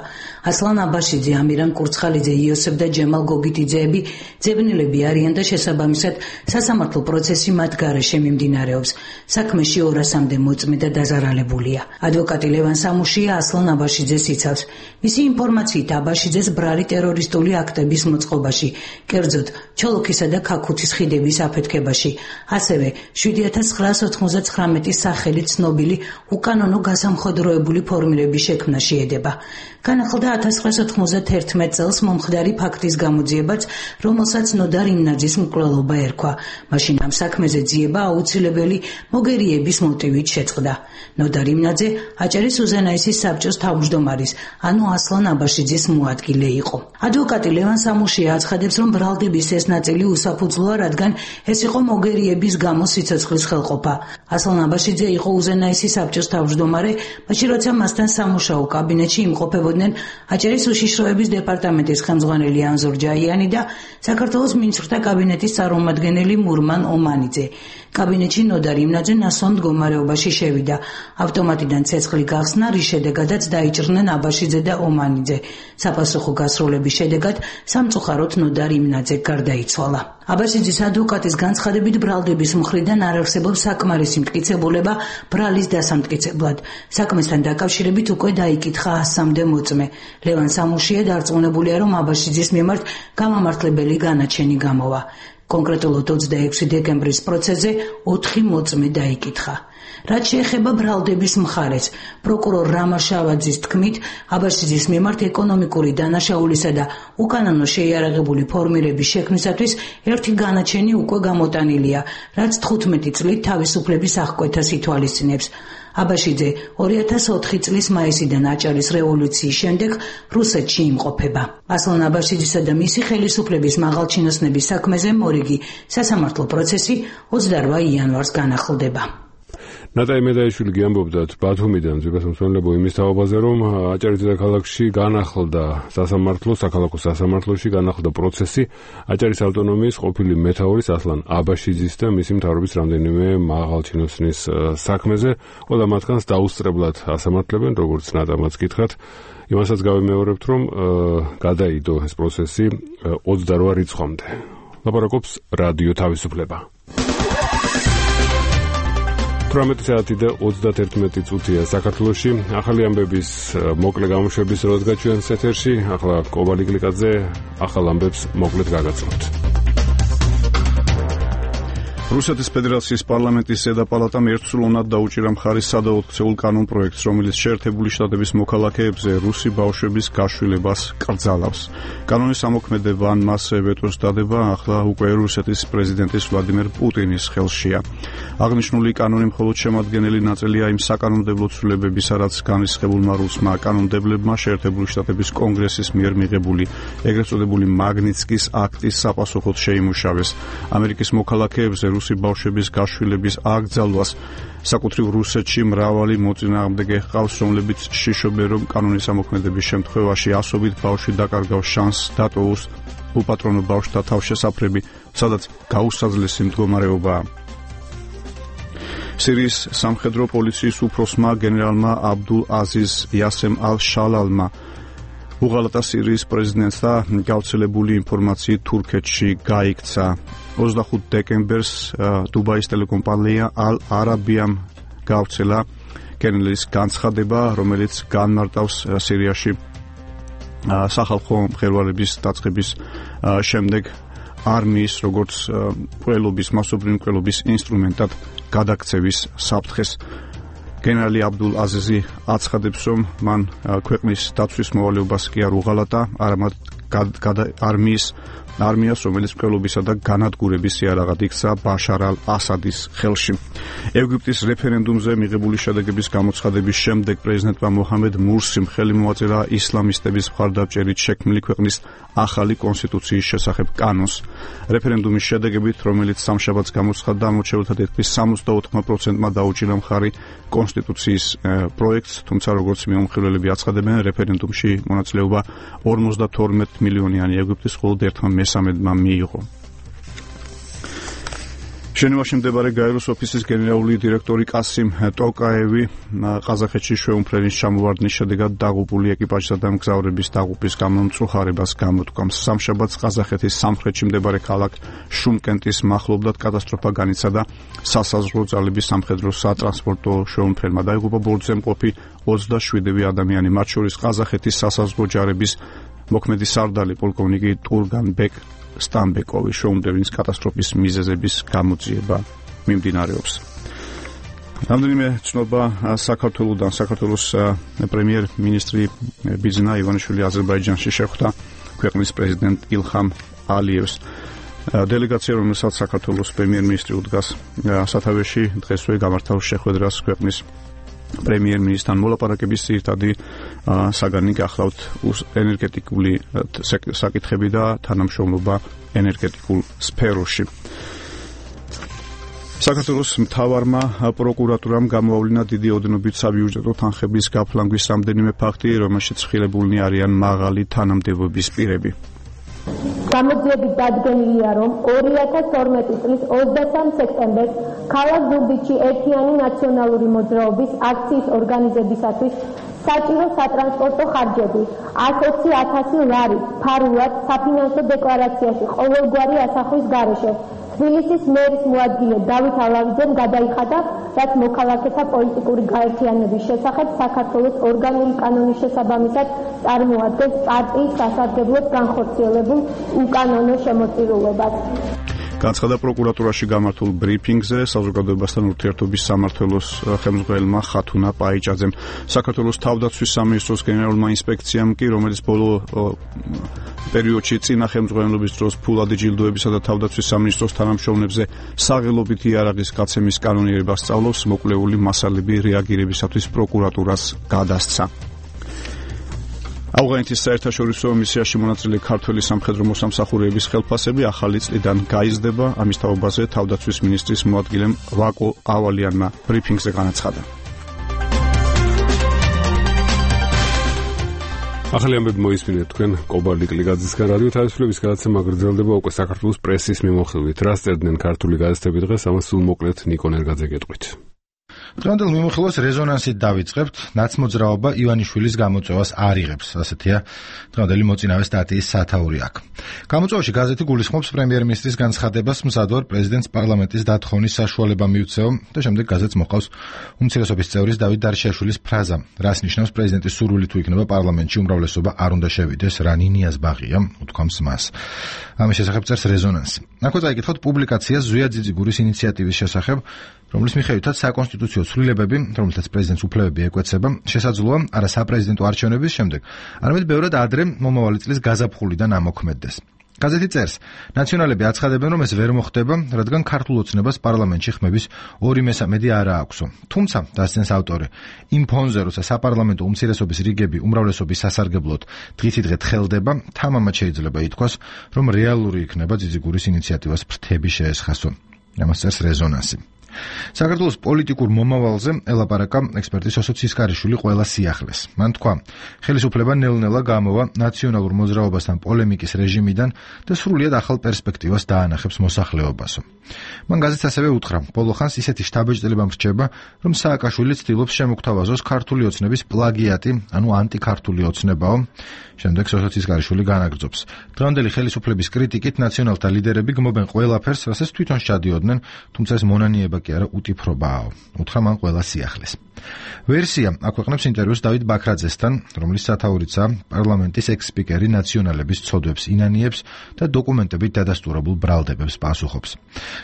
ასლან აბაშიძე, ამირან კურცხალიძე, იოსებ და ჯემალ გოგიტიძეები ძებნილები არიან და შესაბამისად სასამართლო პროცესი მათ გარეშე მიმდინარეობს. საქმეში ორასამდე მოწმე და დაზარალებულია. ადვოკატი ლევან სამუშია ასლან აბაშიძეს იცავს. მისი ინფორმაციით აბაშიძეს ბრალი ტერორისტული აქტების მოწყობაში, კერძოდ ჩოლოქისა და ქაქუთის ხიდების აფეთქებაში. ასევე შვიდი ათას ცხრაას ოთხმოცდათხრამეტი სახელით ცნობილი უკანონო გასამხედროებული ფორმირების შექმნა შეედება. განახლდა ათას ცხრაას ოთხმოცდათერთმეტ წელს მომხდარი ფაქტის გამოძიებაც, რომელსაც ნოდარ იმნაძის მკვლელობა ერქვა. მაშინ ამ საქმეზე ძიება აუცილებელი მოგერიების მოტივით შეწყდა. ნოდარ იმნაძე აჭარის უზენაესის საბჭოს თავმჯდომარის, ანუ ასლან აბაშიძის მოადგილე იყო. ადვოკატი ლევან სამუშია აცხადებს, რომ ბრალდების ეს ნაწილი უსაფუძვლოა, რადგან ეს იყო მოგერიების გამო სიცოცხლის ხელყოფა. ასლან აბაშიძე იყო უზენაესის საბჭოს თავმჯდომარე, მაშინ როცა მასთან სამუშაო კაბინეტში იმყოფებოდნენ აჭარის უშიშროების დეპარტამენტის ხელმძღვანელი ანზორ ჯაიანი და საქართველოს მინისტრთა კაბინეტის წარმომადგენელი მურმან ომანიძე. კაბინეტში ნოდარ იმნაძე ნასვამ მდგომარეობაში შევიდა. ავტომატიდან ცეცხლი გახსნა, რის შედეგადაც დაიჭრნენ აბაშიძე და ომანიძე. საპასუხო გასროლების შედეგად სამწუხაროდ ნოდარ იმნაძე გარდაიცვალა. აბაშიძის ადვოკატის განცხადებით, ბრალდების მხრიდან არ არსებობს საკმარისი მტკიცებულება ბრალის დასამტკიცებლად. საქმესთან დაკავშირებით უკვე დაიკითხა ასამდე მოწმე. ლევან სამუშია დარწმუნებულია, რომ აბაშიძის მიმართ გამამართლებელი განაჩენი გამოვა. კონკრეტულად ოცდაექვსი დეკემბრის პროცესზე ოთხი მოწმე დაიკითხა. რაც შეეხება ბრალდების მხარეს, პროკურორ რამა შავაძის თქმით, აბაშიძის მიმართ ეკონომიკური დანაშაულისა და უკანონო შეიარაღებული ფორმირების შექმნისათვის ერთი განაჩენი უკვე გამოტანილია, რაც თხუთმეტი წლით თავისუფლების აღკვეთას ითვალისწინებს. აბაშიძე ორი ათას ოთხი წლის მაისიდან აჭარის რევოლუციის შემდეგ რუსეთში იმყოფება. ასლან აბაშიძისა და მისი ხელისუფლების მაღალჩინოსნების საქმეზე მორიგი სასამართლო პროცესი ოცდარვა იანვარს განახლდება. ნატაი მედაიშვილი გიამბობდათ ბათუმიდან ძვირფასმცველებო იმის თაობაზე, რომ აჭარის დედაქალაქში განახლდა სასამართლო, საქალაქო სასამართლოში განახლდა პროცესი აჭარის ავტონომიის ყოფილი მეთაურის ასლან აბაშიძის და მისი მთავრობის რამდენიმე მაღალჩინოსნის საქმეზე. ყველა მათგანს დაუსწრებლად ასამართლებენ, როგორც ნატამაც გითხრათ. იმასაც გავიმეორებთ, რომ გადაიდო ეს პროცესი ოცდარვა რიცხვამდე. ლაპარაკობს რადიო თავისუფლება. თვრამეტი საათი და ოცდაერთმეტი წუთია საქართველოში. ახალი ამბების მოკლე გამოშვების დროს გაჩვენს ეთერში. ახლა კობალი გლიკაძე ახალ ამბებს მოკლედ გაგაცნობთ. რუსეთის ფედერაციის პარლამენტის ზედა პალატამ ერთსულოვნად დაუჭირა მხარის სადაოქცეულ კანონ პროექტს, რომელიც შეერთებული შტატების მოქალაქეებზე რუსი ბავშვების გაშვილებას კრძალავს. კანონის ამოქმედება ან მასზე ვეტოს დადება ახლა უკვე რუსეთის პრეზიდენტის ვლადიმერ პუტინის ხელშია. აღნიშნული კანონი მხოლოდ შემადგენელი ნაწილია იმ საკანონმდებლო ცვლილებებისა, რაც განრისხებულმა რუსმა კანონმდებლებმა შეერთებული შტატების კონგრესის მიერ მიღებული ეგრეთ წოდებული მაგნიცკის აქტის საპასუხოდ შეიმუშავეს. ამერიკის მოქალაქეებზე რუსი ბავშვების გაშვილების აკრძალვას საკუთრივ რუსეთში მრავალი მოწინააღმდეგე ჰყავს, რომლებიც შიშობენ, რომ კანონის ამოქმედების შემთხვევაში ასობით ბავშვი დაკარგავს შანსს დატოვოს უპატრონო ბავშვთა თავშესაფრები, სადაც გაუსაძლესი მდგომარეობაა. სირიის სამხედრო პოლიციის უფროსმა გენერალმა აბდულ აზიზ იასემ ალ-შალალმა უღალატა სირიის პრეზიდენტს და გავრცელებული ინფორმაციით თურქეთში გაიქცა. ოცდახუთი დეკემბერს დუბაის ტელეკომპანია ალ-არაბიამ გავრცელა გენერლის განცხადება, რომელიც განმარტავს სირიაში სახალხო მღელვარების დაწყების შემდეგ არმიის როგორც მკვლელობის, მასობრივი მკვლელობის ინსტრუმენტად გადაქცევის საფრთხეს. გენერალი აბდულ აზიზი აცხადებს, რომ მან ქვეყნის დაცვის მოვალეობას კი არ უღალატა, არამედ არმიის არმიას, რომელიც მკვლელობისა და განადგურების იარაღად იქცა ბაშარ ალ-ასადის ხელში. ეგვიპტის რეფერენდუმზე მიღებული შედეგების გამოცხადების შემდეგ პრეზიდენტმა მოჰამედ მურსიმ ხელი მოაწერა ისლამისტების მხარდამჭერით შექმნილი ქვეყნის ახალი კონსტიტუციის შესახებ კანონს. რეფერენდუმის შედეგებით, რომელიც სამშაბათს გამოცხადდა, ამორჩეულთა თითქმის სამოცდაოთხ პროცენტმა დაუჭირა მხარი კონსტიტუციის პროექტს, თუმცა როგორც მიმოხილველები აცხადებენ, რეფერენდუმში მონაწილეობა ორმოცდათორმეტ მილიონიანი ეგვიპტის მხოლოდ ერთმა მესამედმა მიიღო. ჟენევაში მდებარე გაეროს ოფისის გენერალური დირექტორი კასიმ ტოკაევი ყაზახეთში შეუმფრენის ჩამოვარდნის შედეგად დაღუპული ეკიპაჟსა და მგზავრების დაღუპვის გამო მწუხარებას გამოთქვამს. სამშაბათს ყაზახეთის სამხრეთში მდებარე ქალაქ შუმკენტის მახლობლად კატასტროფა განიცადა სასაზღვრო ძალების სამხედრო სატრანსპორტო შეუმფრენმა. დაიღუპა ბორცვზე მყოფი ოცდაშვიდივე ადამიანი, მათ შორის ყაზახეთის სასაზღვრო ჯარების მოქმედი სარდალი პოლკოვნიკი ტურგანბეკ სტამბეკოვი შეუმდევნის კატასტროფის მიზეზების გამოძიება მიმდინარეობს. რამდენიმე ცნობა საქართველოსდან. საქართველოს პრემიერ-მინისტრი ბიძინა ივანიშვილი აზერბაიჯანში შეხვდა ქვეყნის პრეზიდენტ ილჰამ ალიევს. დელეგაცია, რომელსაც საქართველოს პრემიერ-მინისტრი უდგას სათავეში, დღესვე გამართავს შეხვედრას ქვეყნის პრემიერ-მინისტრთან. მოლაპარაკების ძირითადი საგანი გახლავთ ენერგეტიკული საკითხები და თანამშრომლობა ენერგეტიკულ სფეროში. საქართველოს მთავარმა პროკურატურამ გამოავლინა დიდი ოდენობით საბიუჯეტო თანხების გაფლანგვის რამდენიმე ფაქტი, რომელშიც ხილებულნი არიან მაღალი თანამდებობის პირები. გამოძიებით დადგენილია, რომ ორი ათას ორმეტი წლის ოცდასამ სექტემბერს ქალაქ ზუგდიდში ერთიანი ნაციონალური მოძრაობის აქციის ორგანიზებისათვის საჭირო სატრანსპორტო ხარჯები ათს ოცი ათასი ლარი ფარულად საფინანსო დეკლარაციაში ყოველგვარი ასახვის გარეშე თბილისის მერის მოადგილე დავით ალავიძემ გადაიხადა, რაც მოქალაქეთა პოლიტიკური გაერთიანების შესახებ საქართველოს ორგანული კანონის შესაბამისად წარმოადგენს პარტიის სასარგებლოდ განხორციელებულ უკანონო შემოწირულობას. განცხადა პროკურატურაში გამართულ ბრიფინგზე საზოგადოებასთან ურთიერთობის სამმართველოს ხელმძღვანელმა ხათუნა პაიჭაძემ. საქართველოს თავდაცვის სამინისტროს გენერალურმა ინსპექციამ კი, რომელიც ბოლო პერიოდში წინა ხელმძღვანელობის დროს ფულადი ჯილდოებისა და თავდაცვის სამინისტროს თანამშრომლებზე საღელობითი იარაღის გაცემის კანონიერებას სწავლობს, მოკვლეული მასალები რეაგირებისათვის პროკურატურას გადასცა. ავღანეთის საერთაშორისო მისიაში მონაწილე ქართველი სამხედრო მოსამსახურეების ხელფასები ახალი წლიდან გაიზრდება, ამის თაობაზე თავდაცვის მინისტრის მოადგილემ ვაკო ავალიანმა ბრიფინგზე განაცხადა. ახალი ამბები მოისმინეთ თქვენ კობალdi კლიკაძისგან. რადიო თავისუფლების გადაცემა გრძელდება უკვე საქართველოს პრესის მიმოხილვით. რას წერდნენ ქართული გაზეთები დღეს, ამას სულ მოკლედ ნიკო ნერგაძე გეტყვით. დღევანდელ მიმოხილვას რეზონანსით დავიწყებთ. ნაცმოძრაობა ივანიშვილის გამოწვევას არ იღებს, ასეთია დღევანდელი მოწინავე სტატიის სათაური აქ. გამოწვევაში გაზეთი გულისხმობს პრემიერ-მინისტრის განცხადებას, მზადვარ პრეზიდენტს პარლამენტის დათხოვნის საშუალება მიუცეო და შემდეგ გაზეთს მოყავს უმცირესობის წევრის დავით დარიშაშვილის ფრაზა, რას ნიშნავს პრეზიდენტის სურვილი თუ იქნება პარლამენტში უმრავლესობა არ უნდა შევიდეს, რა ნინიას ბაღია, უთქვამს მას. ამის შესახებ წერს რეზონანსი. აქვე წაიკითხოთ პუბლიკაციას ზვია ძიძიგურის ინიციატივის შესახებ, რომლის მიხედვითაც საკონსტიტუციო ცვლილებები, რომელთაც პრეზიდენტს უფლებები ეკვეცება, შესაძლოა არა საპრეზიდენტო არჩევნების შემდეგ, არამედ ბევრად ადრე მომავალი წლის გაზაფხულიდან ამოქმედდეს. გაზეთი წერს, ნაციონალები აცხადებენ, რომ ეს ვერ მოხდება, რადგან ქართულ ოცნებას პარლამენტში ხმების ორი მესამედი არა აქვსო. თუმცა, დასცენს ავტორი, იმ ფონზე, როცა საპარლამენტო უმცირესობის რიგები უმრავლესობის სასარგებლოდ დღითიდღე თხელდება, თამამად შეიძლება ითქვას, რომ რეალური იქნება ძიძიგურის ინიციატივას ფრთები შეესხასო. ამას წერს რეზონანსი. საქართველოს პოლიტიკურ მომავალზე ელაპარაკა ექსპერტი სოსო ცისკარიშვილი ყველა სიახლეს. მან თქვა, ხელისუფლება ნელ-ნელა გამოვა ნაციონალურ მოძრაობასთან პოლემიკის რეჟიმიდან და სრულიად ახალ პერსპექტივას დაანახებს მოსახლეობასო. მან გაზეთს ასევე უთხრა, ბოლო ხანს ისეთი შთაბეჭდილება მრჩება, რომ სააკაშვილი ცდილობს შემოგთავაზოს ქართული ოცნების პლაგიატი, ანუ ანტიქართული ოცნებაო. შემდეგ სოსო ცისკარიშვილი განაგრძობს. დღევანდელი ხელისუფლების კრიტიკით ნაციონალთა ლიდერები გმობენ ყველაფერს, რასაც თვითონ სჩადიოდნენ, თუმცა ეს მონანიება კი არა უტიფრობაო. უთხრა მან ყველა სიახლეს. ვერსია აქვეყნებს ინტერვიუს დავით ბაქრაძესთან, რომლის სათაურიცაა პარლამენტის ექს-სპიკერი ნაციონალების ცოდვებს ინანიებს და დოკუმენტებით დადასტურებულ ბრალდებებს პასუხობს.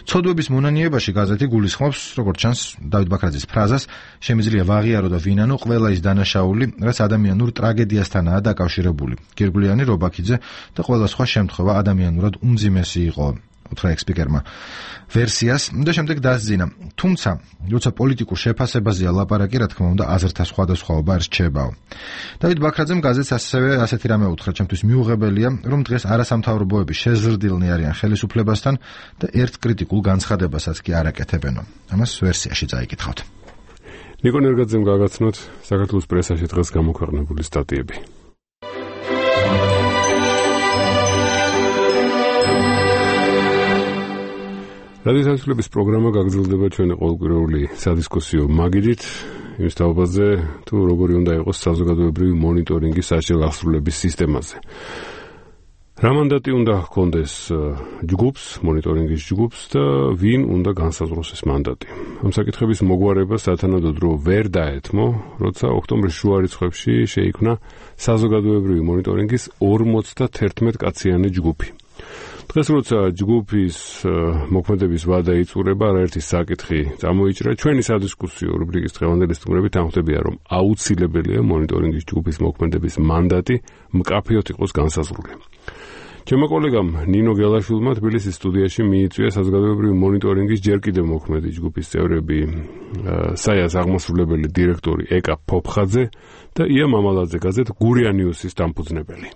ცოდვების მონანიებაში გაზეთი გულისხმობს, როგორც ჩანს, დავით ბაქრაძის ფრაზას, შემიძლია ვაღიარო და ვინანო ყველა ის დანაშაული, რაც ადამიანურ ტრაგედიასთანაა დაკავშირებული. გირგვლიანი, რობაქიძე და ყველა სხვა შემთხვევა ადამიანურად უმძიმესი იყო. უთხრა ექს-სპიკერმა ვერსიას და შემდეგ დასძინა. თუმცა, როცა პოლიტიკურ შეფასებაზეა ლაპარაკი, რა თქმა უნდა, აზრთა სხვადასხვაობა რჩებაო. დავით ბაქრაძემ გაზეთს ასევე ასეთი რამე უთხრა, ჩემთვის მიუღებელია, რომ დღეს არასამთავრობოები შეზრდილნი არიან ხელისუფლებასთან და ერთ კრიტიკულ განცხადებასაც კი არ აკეთებენო. ამას ვერსიაში წაიკითხავთ. ნიკო ნერგაძემ გაგაცნოთ საქართველოს პრესაში დღეს გამოქვეყნებული სტატიები. რადიო თავისუფლების პროგრამა გაგრძელდება ჩვენი ყოველკვირეული სადისკუსიო მაგიდით, იმის თაობაზე, თუ როგორი უნდა იყოს საზოგადოებრივი მონიტორინგი საჭირო აღსრულების სისტემაზე. რა მანდატი უნდა ჰქონდეს ჯგუფს, მონიტორინგის ჯგუფს და ვინ უნდა განსაზღვროს ეს მანდატი. ამ საკითხების მოგვარება სათანადოდ ვერ დაეთმო, როცა ოქტომბრის შუა რიცხვებში შეიქმნა საზოგადოებრივი მონიტორინგის ორმოცდაათერთმეტ კაციანი ჯგუფი. დღეს როცა ჯგუფის მოქმედების ვადა იწურება, არაერთი საკითხი წამოიჭრა. ჩვენი სადისკუსიო რუბრიკის დღევანდელი სტუმრებით ამხდებია, რომ აუცილებელია მონიტორინგის ჯგუფის მოქმედების მანდატი მკაფიოდ იყოს განსაზღვრული. ჩემო კოლეგამ ნინო გელაშვილმა თბილისის სტუდიაში მიიწვია საზოგადოებრივი მონიტორინგის ჯერ კიდევ მოქმედი ჯგუფის წევრები საიას აღმასრულებელი დირექტორი ეკა ფოფხაძე და ია მამალაძე გაზეთ გურია ნიუსის დამფუძნებელი.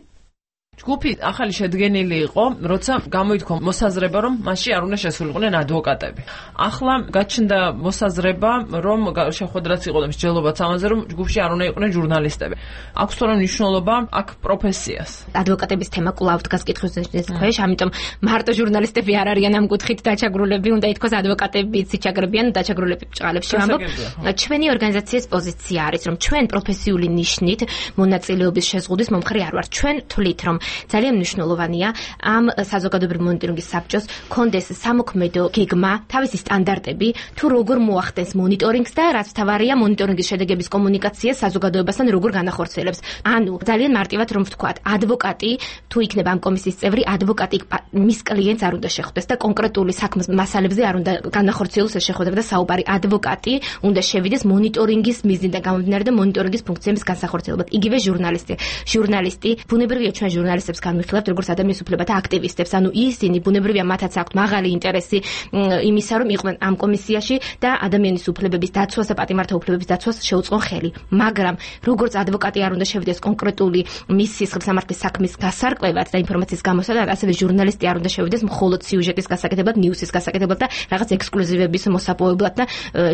ჯგუფი ახალი შედგენილი იყო, როცა გამოითქვა მოსაზრება, რომ მასში არ უნდა შესულიყვნენ ადვოკატები. ახლა გაჩნდა მოსაზრება, რომ შეხვედრაც იყო და მსჯელობაც ამაზე, რომ ჯგუფში არ უნდა იყვნენ ჟურნალისტები. აქვს თორემ მნიშვნელობა აქ პროფესიას. ადვოკატების თემა კვლავ დგას კითხვის ქვეშ, ამიტომ მარტო ჟურნალისტები არ არიან ამ კუთხით დაჩაგრულები, უნდა ითქვას ადვოკატებიც იჩაგრებიან დაჩაგრულები ბჭყალებში. ამბობ, ჩვენი ორგანიზაციის პოზიცია არის, რომ ჩვენ პროფესიული ნიშნით მონაწილეობის შეზღუდვის მომხრე არ ვართ. ჩვენ თვლით, რომ ძალიან მნიშვნელოვანია ამ საზოგადოებრივი მონიტორინგის საბჭოს კონდეს სამოქმედო გეგმა, თავისი სტანდარტები, თუ როგორ მოახდენს მონიტორინგს და რაც თავარია მონიტორინგის შედეგების კომუნიკაცია საზოგადოებასთან როგორ განახორციელებს. ანუ ძალიან მარტივად რომ ვთქვათ, ადვოკატი თუ იქნება ამ კომისიის წევრი, ადვოკატი მის კლიენტს არ უნდა შეხვდეს და კონკრეტული საქმის მასალებზე არ უნდა განახორციელოს ეს შეხვედრა და საუბარი. ადვოკატი უნდა შევიდეს მონიტორინგის მიზნიდან გამომდინარე და მონიტორინგის ფუნქციების განსახორციელებლად. იგივე ჟურნალისტი. ჟურნალისტი ბუნებრივია ჩვენ ჟურნალისტებს განვიხილავთ როგორც ადამიანის უფლებათა აქტივისტებს. ანუ ისინი ბუნებრივია მათაც აქვთ მაღალი ინტერესი იმისა, რომ იყვნენ ამ კომისიაში და ადამიანის უფლებების დაცვას და პატიმართა უფლებების დაცვას შეუწყონ ხელი. მაგრამ როგორც ადვოკატი არ უნდა შევიდეს კონკრეტული მის სისხლის სამართლის საქმის გასარკვევად და ინფორმაციის გამოსადად, ასევე ჟურნალისტი არ უნდა შევიდეს მხოლოდ სიუჟეტის გასაკეთებლად, ნიუსის გასაკეთებლად და რაღაც ექსკლუზივების მოსაპოვებლად და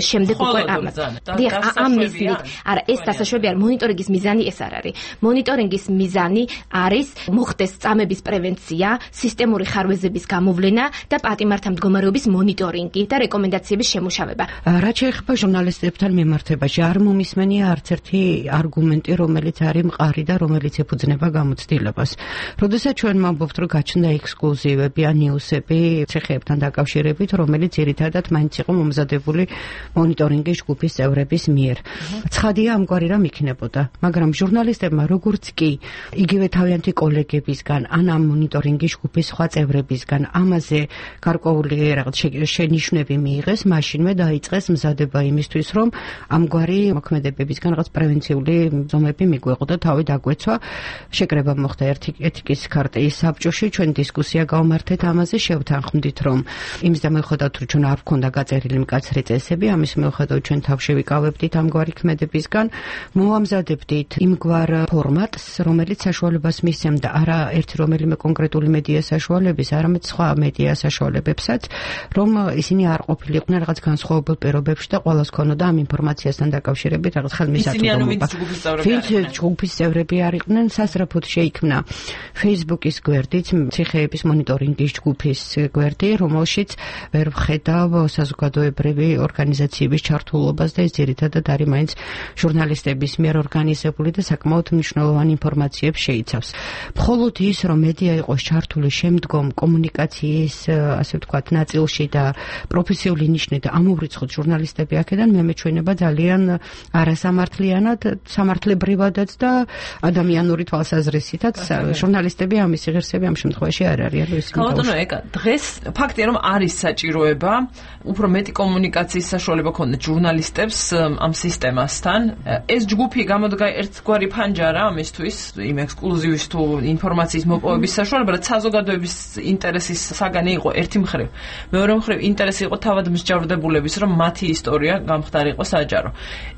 შემდეგ უკვე ამას. დიახ, ამ მიზნით. არა, ეს დასაშვები არ მონიტორინგის მიზანი ეს არ არის. მონიტორინგის მიზანი არის მოხდეს წამების პრევენცია, სისტემური ხარვეზების გამოვლენა და პატიმართა მდგომარეობის მონიტორინგი და რეკომენდაციების შემუშავება. რაც შეეხება ჟურნალისტებთან მიმართებაში, არ მომისმენია არც ერთი არგუმენტი, რომელიც არის მყარი და რომელიც ეფუძნება გამოცდილებას. როდესაც ჩვენ ვამბობთ, რომ გაჩნდა ექსკლუზივები ან ნიუსები ცეხებთან დაკავშირებით, რომელიც ძირითადად მაინც იყო მომზადებული მონიტორინგის ჯგუფის წევრების მიერ. ცხადია, ამგვარი რამ იქნებოდა, მაგრამ ჟურნალისტებმა როგორც კი იგივე თავიანთი კოლეგებისგან ან ამ მონიტორინგის ჯგუფის სხვა წევრებისგან ამაზე გარკვეული რაღაც შენიშვნები მიიღეს, მაშინვე დაიწყეს მზადება იმისთვის, რომ ამგვარი მოქმედებებისგან რაღაც პრევენციული ზომები მიგვეყო და თავი დაგვეცვა. შეკრება მოხდა ეთიკის ქარტიის საბჭოში, ჩვენ დისკუსია გავმართეთ ამაზე, შევთანხმდით, რომ იმის და მიუხედავად რომ ჩვენ არ გვქონდა გაწერილი მკაცრი წესები, ამის მიუხედავად ჩვენ თავში ვიკავებდით ამგვარი ქმედებისგან, მოვამზადებდით იმგვარ ფორმატს, რომელიც საშუალებას მისცემდა არა ერთი რომელიმე კონკრეტული მედია საშუალების, არამედ სხვა მედია საშუალებებსაც, რომ ისინი არ ყოფილიყვნენ რაღაც განსხვავებულ პირობებში და ყველას ქონოდა ამ ინფორმაციასთან დაკავშირებით რაღაც ხელმისაწვდომობა. ვინც ჯგუფის წევრები არიყვნენ, სასწრაფოდ შეიქმნა Facebook-ის გვერდით, ციხეების მონიტორინგის ჯგუფის გვერდი, რომელშიც ვერ ვხედავ საზოგადოებრივი ორგანიზაციების ჩართულობას და ეს ძირითადად არის მაინც ჟურნალისტების მიერ ორგანიზებული და საკმაოდ მნიშვნელოვანი ინფორმაციებს შეიცავს. მხოლოდ ის, რომ მედია იყოს ჩართული შემდგომ კომუნიკაციის, ასე ვთქვათ, ნაწილში და პროფესიული ნიშნით ამოვრიცხოთ ჟურნალისტები აქედან, მე მეჩვენება ძალიან არასამართლიანად, სამართლებრივადაც და ადამიანური თვალსაზრისითაც ჟურნალისტები ამის ღირსები ამ შემთხვევაში არ არიან. ქალბატონო ეკა, დღეს ფაქტია, რომ არის საჭიროება უფრო მეტი კომუნიკაციის საშუალება ქონდეთ ჟურნალისტებს ამ სისტემასთან. ეს ჯგუფი გამოდგა ერთგვარი ფანჯარა ამისთვის, იმ ექსკლუზივის თუ ინფორმაციის მოპოვების საშუალება, რაც საზოგადოების ინტერესის საგანი იყო ერთი მხრივ. მეორე მხრივ ინტერესი იყო თავად მსჯავრდებულების, რომ მათი ისტორია გამხდარიყო საჯარო.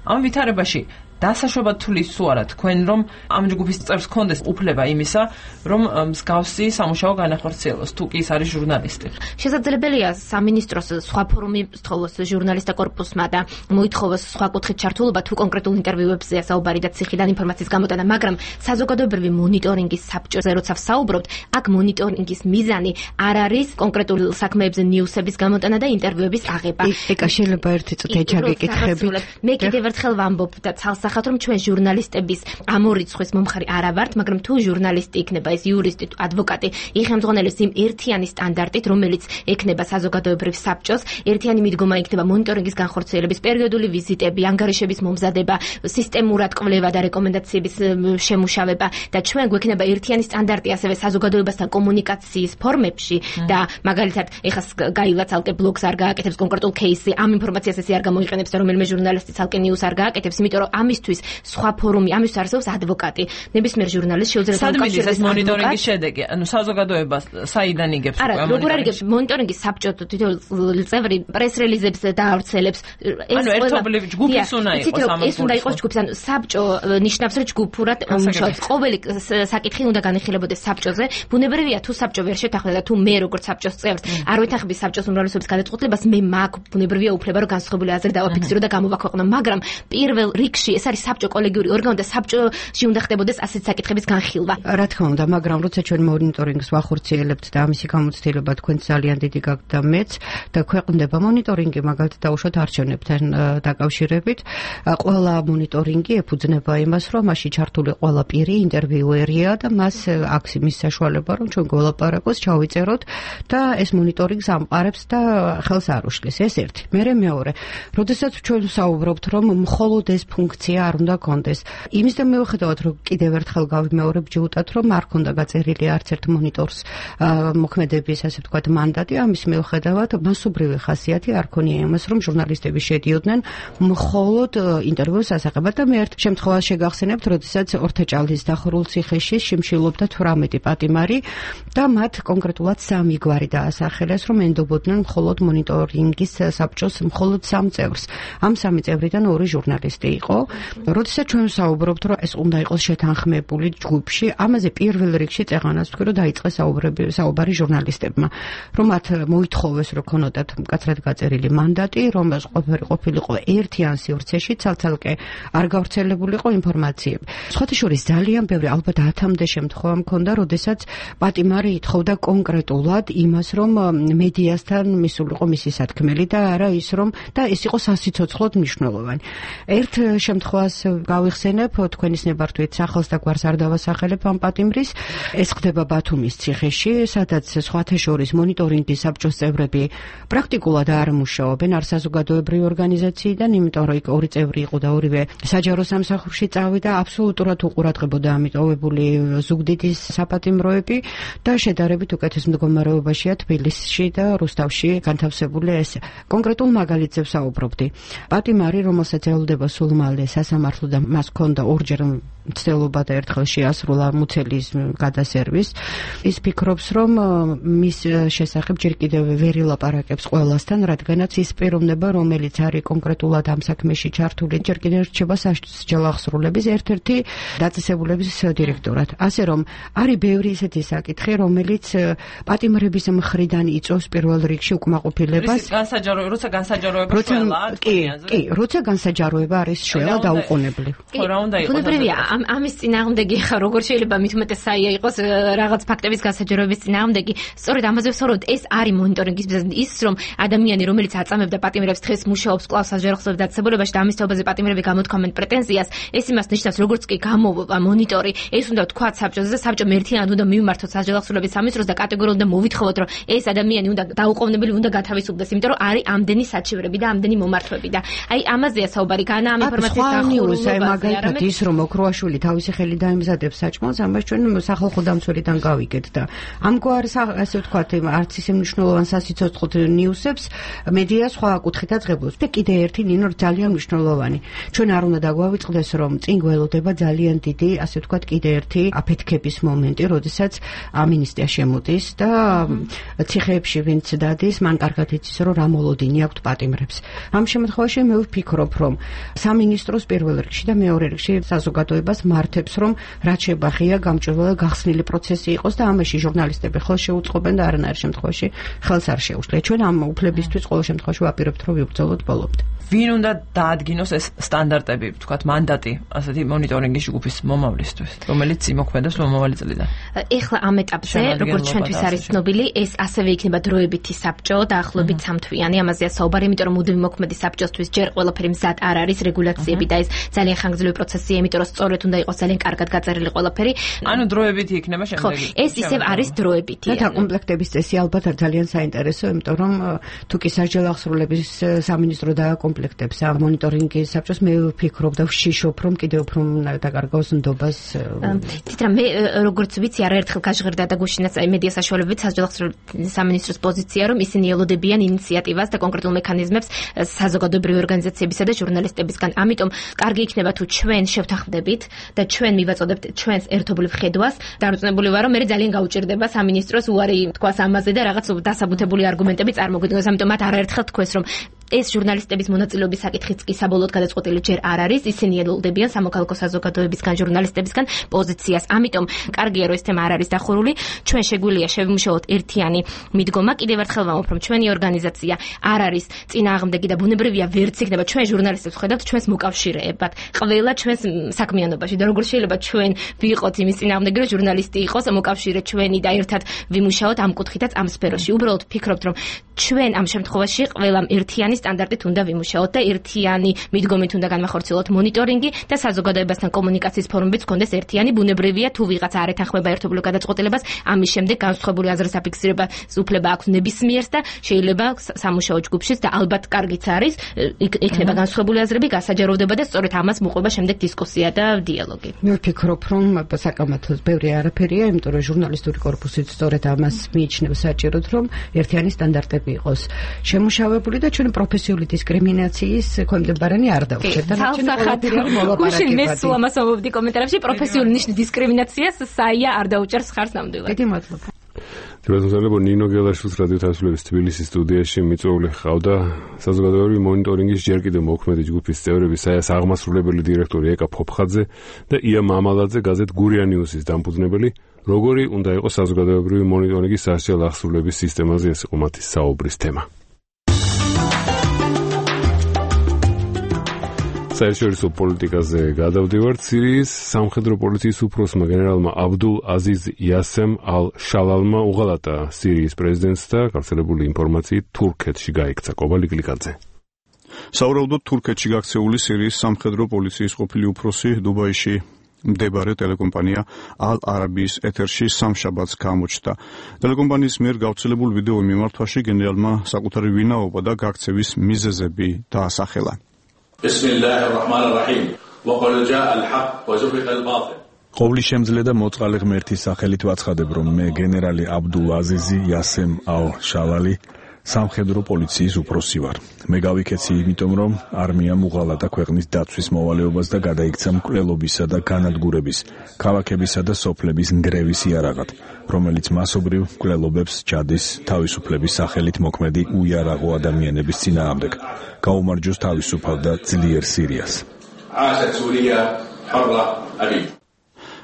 ამ ვითარებაში დასაშვებად თulis თუ არა თქვენ, რომ ამ ჯგუფის წევრს ქონდეს უფლება იმისა, რომ მსგავსი სამუშაო განახორციელოს, თუ კი ის არის ჟურნალისტი. შესაძლებელია სამინისტროს სხვა ფორუმი სწავლოს ჟურნალისტთა კორპუსმა და მოითხოვოს სხვა კუთხით ჩართულობა თუ კონკრეტულ ინტერვიუებზეა საუბარი და ციხიდან ინფორმაციის გამოტანა, მაგრამ საზოგადოებრივი მონიტორინგის საბჭოზე როცა ვსაუბრობთ, აქ მონიტორინგის მიზანი არ არის კონკრეტულ საქმეებზე ნიუსების გამოტანა და ინტერვიუების აღება. ეკა შეიძლება ერთი წუთი ჩაგეკითხები. მე კიდევ ერთხელ ვამბობ და ცალსახ გასახათ რომ ჩვენ ჟურნალისტების ამ ორი რიცხვის მომხარი არა ვართ, მაგრამ თუ ჟურნალისტი იქნება, ეს იურისტი, ადვოკატი, იხელმძღვანელებს იმ ერთიანი სტანდარტით, რომელიც ექნება საზოგადოებრივ საბჭოს, ერთიანი მიდგომა იქნება მონიტორინგის განხორციელების, პერიოდული ვიზიტები, ანგარიშების მომზადება, სისტემურად კვლევა და რეკომენდაციების შემუშავება და ჩვენ გვექნება ერთიანი სტანდარტი ასევე საზოგადოებასთან კომუნიკაციის ფორმებში და მაგალითად ეხლა გაილა ცალკე ბლოგს არ გააკეთებს კონკრეტულ кейსზე, ამ ინფორმაციას ესე არ გამოიყენებს და რომელიმე ჟურნალისტი ცალკე ნიუს არ გააკეთებს, იმიტომ რომ ამისთვის სხვა ფორუმი, ამისთვის არსებობს ადვოკატი. ნებისმიერ ჟურნალისტს შეუძლია საკავშირის მონიტორინგის შედეგი, ანუ საზოგადოებას საიდან იგებს უკვე ამ მონიტორინგის? არა, როგორ არიგებს მონიტორინგის საბჭო თითოეული წევრი პრეს-რელიზებს დაავრცელებს. ანუ ერთობლივ ჯგუფის უნდა იყოს ამ ეს უნდა იყოს ჯგუფის, ანუ საბჭო ნიშნავს რომ ჯგუფურად მუშაობს. ყოველი საკითხი უნდა განიხილებოდეს საბჭოზე. ბუნებრივია თუ საბჭო ვერ შეთანხმდა და თუ მე როგორც საბჭოს წევრს არ ვეთანხმები საბჭოს უმრავლესობის გადაწყვეტილებას, მე მაქვს ბუნებრივია უფლება რომ განსხვავებული აზრი დავაფიქსირო და გამოვაქვეყნო, მაგრამ პირველ რიგში ეს არის საბჭო კოლეგიური ორგანო და საბჭოში უნდა ხდებოდეს ასეთ საკითხების განხილვა. რა თქმა უნდა, მაგრამ როცა ჩვენ მონიტორინგს ვახორციელებთ და ამისი გამოცდილება თქვენ ძალიან დიდი გაქვთ და მეც და ქვეყნდება მონიტორინგი მაგალითად დაუშვათ არჩევნებთან დაკავშირებით, ყველა მონიტორინგი ეფუძნება იმას, რომ მასში ჩართული ყველა პირი ინტერვიუერია და მას აქვს იმის საშუალება, რომ ჩვენ გველაპარაკოს, ჩავიწეროთ და ეს მონიტორინგს ამყარებს და ხელს არ უშლის. ეს ერთი. მერე მეორე, როდესაც ჩვენ ვსაუბრობთ, რომ მხოლოდ ეს ფუნქცია არ უნდა კონდეს. იმის და მიუხედავად, რომ კიდევ ერთხელ გავიმეორებ ჯიუტად, რომ არ ქონდა გაწერილი არც ერთ მონიტორს მოქმედების, ასე ვთქვათ, მანდატი, ამის მიუხედავად მასობრივი ხასიათი არ ქონია იმას, რომ ჟურნალისტები შედიოდნენ მხოლოდ ინტერვიუს ასახებად და მე ერთ შემთხვევას შეგახსენებთ, როდესაც ორთაჭალის დახურულ ციხეში შიმშილობდა თვრამეტი პატიმარი და მათ კონკრეტულად სამი გვარი დაასახელეს, რომ ენდობოდნენ მხოლოდ მონიტორინგის საბჭოს მხოლოდ სამ წევრს. ამ სამი წევრიდან ორი ჟურნალისტი იყო. როდესაც ჩვენ ვსაუბრობთ, რომ ეს უნდა იყოს შეთანხმებული ჯგუფში, ამაზე პირველ რიგში წეღანას ვთქვი, რომ დაიწყეს საუბრები, საუბარი ჟურნალისტებმა, რომ მათ მოითხოვეს, რომ ქონოდათ მკაცრად გაწერილი მანდატი, რომ ყველაფერი ყოფილიყო ერთიან სივრცეში, ცალ-ცალკე არ გავრცელებულიყო ინფორმაციები. სხვათა შორის ძალიან ბევრი, ალბათ ათამდე შემთხვევა მქონდა, როდესაც პატიმარი ითხოვდა კონკრეტულად იმას, რომ მედიასთან მისულიყო მისი სათქმელი და არა ის, რომ და ეს იყო სასიცოცხლოდ მნიშვნელოვანი. ერთ შემთხვევას გავიხსენებ, თქვენის ნებართვით სახელს და გვარს არ დავასახელებ ამ პატიმრის. ეს ხდება ბათუმის ციხეში, სადაც სხვათა შორის მონიტორინგის საბჭოს წევრები პრაქტიკულად არ მუშაობენ, არ საზოგადოებრივი ორგანიზაციიდან, იმიტომ რომ იქ ორი წევრი იყო და ორივე საჯარო სამსახურში წავიდა, აბსოლუტურად უყურადღებოდა ამიტოვებული ზუგდიდის საპატიმროები და შედარებით უკეთეს მდგომარეობაშია თბილისში და რუსთავში განთავსებული ეს. კონკრეტულ მაგალითზე ვსაუბრობდი. პატიმარი, რომელსაც ელოდება სულ მალე სასამართლო და მას ჰქონდა ორჯერ მცდელობა და ერთხელ შეასრულა მუცელის გადასერვის, ის ფიქრობს, რომ მის შესახებ ჯერ კიდევ ვერ ილაპარაკებს ყველასთან, რადგანაც ის პიროვნება, რომელიც არის კონკრეტულად ამ საქმეში ჩართული, ჯერ კიდევ რჩება სასჯელახსრულების ერთ-ერთი დაწესებულების დირექტორად. ასე რომ არის ბევრი ისეთი საკითხი, რომელიც პატიმრების მხრიდან იწვევს პირველ რიგში უკმაყოფილებას. განსაჯარო, როცა განსაჯაროება შველა, კი, კი, როცა განსაჯაროება არის შველა დაუყოვნებლივ. ხო, რა უნდა იყოს? ბუნებრივია, ამ ამის წინააღმდეგი ხა როგორ შეიძლება მით უმეტეს საია იყოს რაღაც ფაქტების განსაჯაროების წინააღმდეგი. სწორედ ამაზე ვსაუბრობთ, ეს არის მონიტორინგის მიზანი, ის რომ ადამიანი, რომელიც აწამებდა პატიმრებს, დღეს მუშაობს კვლავ სასჯელახსრულ დაწესებულებაში და ამის თაობაზე პატიმრები გამოთქვამენ პრეტენზიას, ეს იმას ნიშნავს, როგორც კი გამოვა მონიტორი, ეს უნდა თქვათ საბჭოზე და საბჭომ ერთიანად უნდა მივმართოთ სასჯელახსრულების სამისროს და კატეგორიულად უნდა მოვითხოვოთ, რომ ეს ადამიანი უნდა დაუყოვნებელი უნდა გათავისუფლდეს, იმიტომ რომ არის ამდენი საჩივრები და ამდენი მომართვები და აი ამაზეა საუბარი, განა ამ ინფორმაციის დახურულებაზე. მაგალითად ის რომ ოქროაშვილი თავისი ხელი დაემზადებს საჭმელს, ამას ჩვენ სახალხო დამცველიდან გავიგეთ და ამგვარ ასე ვთქვათ, არც ისე მნიშვნელოვან სასიცოცხლო ნიუსებს მედია სხვა კუთხით აწყებობს. და კიდე ერთი ნინო ძალიან მნიშვნელოვანი. ჩვენ არ უნდა დაგვავიწყდეს, რომ წინ გველოდება ძალიან დიდი, ასე ვთქვათ, კიდე ერთი აფეთქების მომენტი, როდესაც ამინისტია შემოდის და ციხეებში ვინც დადის, მან კარგად იცის, რომ რა მოლოდინი აქვთ პატიმრებს. ამ შემთხვევაში მე ვფიქრობ, რომ სამინისტროს პირველ რიგში და მეორე რიგში საზოგადოებას მართებს, რომ რაც შებახია გამჭვირვალე გახსნილი პროცესი იყოს და ამაში ჟურნალისტები ხელს შეუწყობენ და არანაირ შემთხვევაში ხელს არ შეუშლია. ჩვენ ამ უფლებისთვის ყოველ შემთხვევაში ვაპირებთ, რომ ვიბრძოლოთ ბოლომდე. ვინ უნდა დაადგინოს ეს სტანდარტები, თქვათ, მანდატი, ასეთი მონიტორინგის ჯგუფის მომავლისთვის, რომელიც იმოქმედებს მომავალი წლიდან. ეხლა ამ ეტაპზე, როგორც ჩვენთვის არის ცნობილი, ეს ასევე იქნება დროებითი საბჭო, დაახლოებით სამთვიანი, ამაზეა საუბარი, იმიტომ რომ მუდმივი მოქმედი საბჭოსთვის ჯერ ყველაფერი მზად არ არის, რეგულაციები და ეს ძალიან ხანგრძლივი პროცესია, იმიტომ რომ სწორედ უნდა იყოს ძალიან კარგად გაწერილი ყველაფერი. ანუ დროებითი იქნება შემდეგი. ხო, ეს ისევ არის დროებითი. და დაკომპლექტების წესი ალბათ ძალიან საინტერესო, იმიტომ რომ თუ კი სასჯელო აღსრულების სამინისტრო დააკომპლექტებს ამ მონიტორინგის საბჭოს, მე ვფიქრობ და ვშიშობ, რომ კიდევ უფრო დაკარგავს ნდობას. თითქოს მე როგორც ვიცი, არაერთხელ გაჟღერდა და გუშინაც მედია საშუალებებით სასჯელო აღსრულების სამინისტროს პოზიცია, რომ ისინი ელოდებიან ინიციატივას და კონკრეტულ მექანიზმებს საზოგადოებრივი ორგანიზაციებისა და ჟურნალისტებისგან. ამიტომ კარგი იქნება თუ ჩვენ შევთანხმდებით და ჩვენ მივაწოდებთ ჩვენს ერთობლივ ხედვას. დარწმუნებული ვარ, რომ მე ძალიან გაუჭირდება სამინისტროს უარი თქვას ამაზე და რაღაც დასაბუთებული არგუმენტები წარმოგვიდგოს. ამიტომ მათ არაერთხელ თქვეს, რომ ეს ჟურნალისტების მონაწილეობის საკითხიც კი საბოლოოდ გადაწყვეტილი ჯერ არ არის, ისინი ელოდებიან სამოქალაქო საზოგადოებისგან, ჟურნალისტებისგან პოზიციას. ამიტომ კარგია, რომ ეს თემა არ არის დახურული. ჩვენ შეგვიძლია შევიმუშაოთ ერთიანი მიდგომა. კიდევ ერთხელ ვამბობ, რომ ჩვენი ორგანიზაცია არ არის წინააღმდეგი და ბუნებრივია ვერც იქნება ჩვენ ჟურნალისტებს ხედავთ ჩვენს მოკავშირეებად. ყველა ჩვენს საქმიანობაში და როგორ შეიძლება ჩვენ ვიყოთ იმის წინააღმდეგი, რომ ჟურნალისტი იყოს მოკავშირე ჩვენი და ერთად ვიმუშაოთ ამ კუთხითაც ამ სფეროში. უბრალოდ ფიქრობთ, რომ ჩვენ ამ შემთხვევაში ყველამ ერთიანი სტანდარტით უნდა ვიმუშაოთ და ერთიანი მიდგომით უნდა განვახორციელოთ მონიტორინგი და საზოგადოებასთან კომუნიკაციის ფორუმებიც გქონდეს ერთიანი. ბუნებრივია თუ ვიღაც არ ეთანხმება ერთობლივ გადაწყვეტილებას, ამის შემდეგ განსხვავებული აზრის აფიქსირებას უფლება აქვს ნებისმიერს და შეიძლება სამუშაო ჯგუფშიც და ალბათ კარგიც არის, იქნება განსხვავებული აზრები, გასაჯაროვდება და სწორედ ამას მოყვება შემდეგ დისკუსია და დიალოგი. მე ვფიქრობ, რომ საკამათოს ბევრი არაფერია, იმიტომ რომ ჟურნალისტური კორპუსიც სწორედ ამას მიიჩნევს საჭიროდ, რომ ერთიანი სტანდარტები იყოს შემუშავებული და ჩვენ პროფესიული დისკრიმინაციის ქვემდებარენი არ დავჭერთ. გუშინ მე სულ ამას ვამბობდი კომენტარებში, პროფესიული ნიშნის დისკრიმინაციას საია არ დაუჭერს ხარს ნამდვილად. დიდი მადლობა. თბილისელებო ნინო გელაშვილის რადიო თავისუფლების თბილისის სტუდიაში მიწვეული ხავდა საზოგადოებრივი მონიტორინგის ჯერ კიდევ მოქმედი ჯგუფის წევრები საიას აღმასრულებელი დირექტორი ეკა ფოფხაძე და ია მამალაძე გაზეთ გურია ნიუსის დამფუძნებელი. როგორი უნდა იყოს საზოგადოებრივი მონიტორინგის სასჯელო აღსრულების სისტემაზე, ეს იყო მათი საუბრის თემა. საერთაშორისო პოლიტიკაზე გადავდივართ. სირიის სამხედრო პოლიციის უფროსმა გენერალმა აბდულ აზიზ იასემ ალ-შალალმა უღალატა სირიის პრეზიდენტს და გავრცელებული ინფორმაციით თურქეთში გაიქცა. კობალი გლიკაძე. საუბრობთ თურქეთში გაქცეული სირიის სამხედრო პოლიციის ყოფილი უფროსი დუბაიში მდებარე ტელეკომპანია ალ-არაბიის ეთერში სამშაბათს გამოჩნდა. ტელეკომპანიის მიერ გავრცელებულ ვიდეო მიმართვაში გენერალმა საკუთარი ვინაობა და გაქცევის მიზეზები დაასახელა. بسم الله الرحمن الرحيم وقل جاء الحق وزهق الباطل. ყოვლის შემძლე და მოწყალე ღმერთის სახელით ვაცხადებ, რომ მე გენერალი აბდულ აზიზი იასემ ალ-შალალი სამხედრო პოლიციის უფროსი ვარ. მე გავიქეცი იმიტომ, რომ არმიამ უღალატა ქვეყნის დაცვის მოვალეობას და გადაიქცა მკვლელობისა და განადგურების, ქალაქებისა და სოფლების ნგრევის იარაღად, რომელიც მასობრივ მკვლელობებს ჯადის თავისუფლების სახელით მოქმედი უიარაღო ადამიანების წინააღმდეგ. გაუმარჯოს თავისუფალ და ძლიერ სირიას.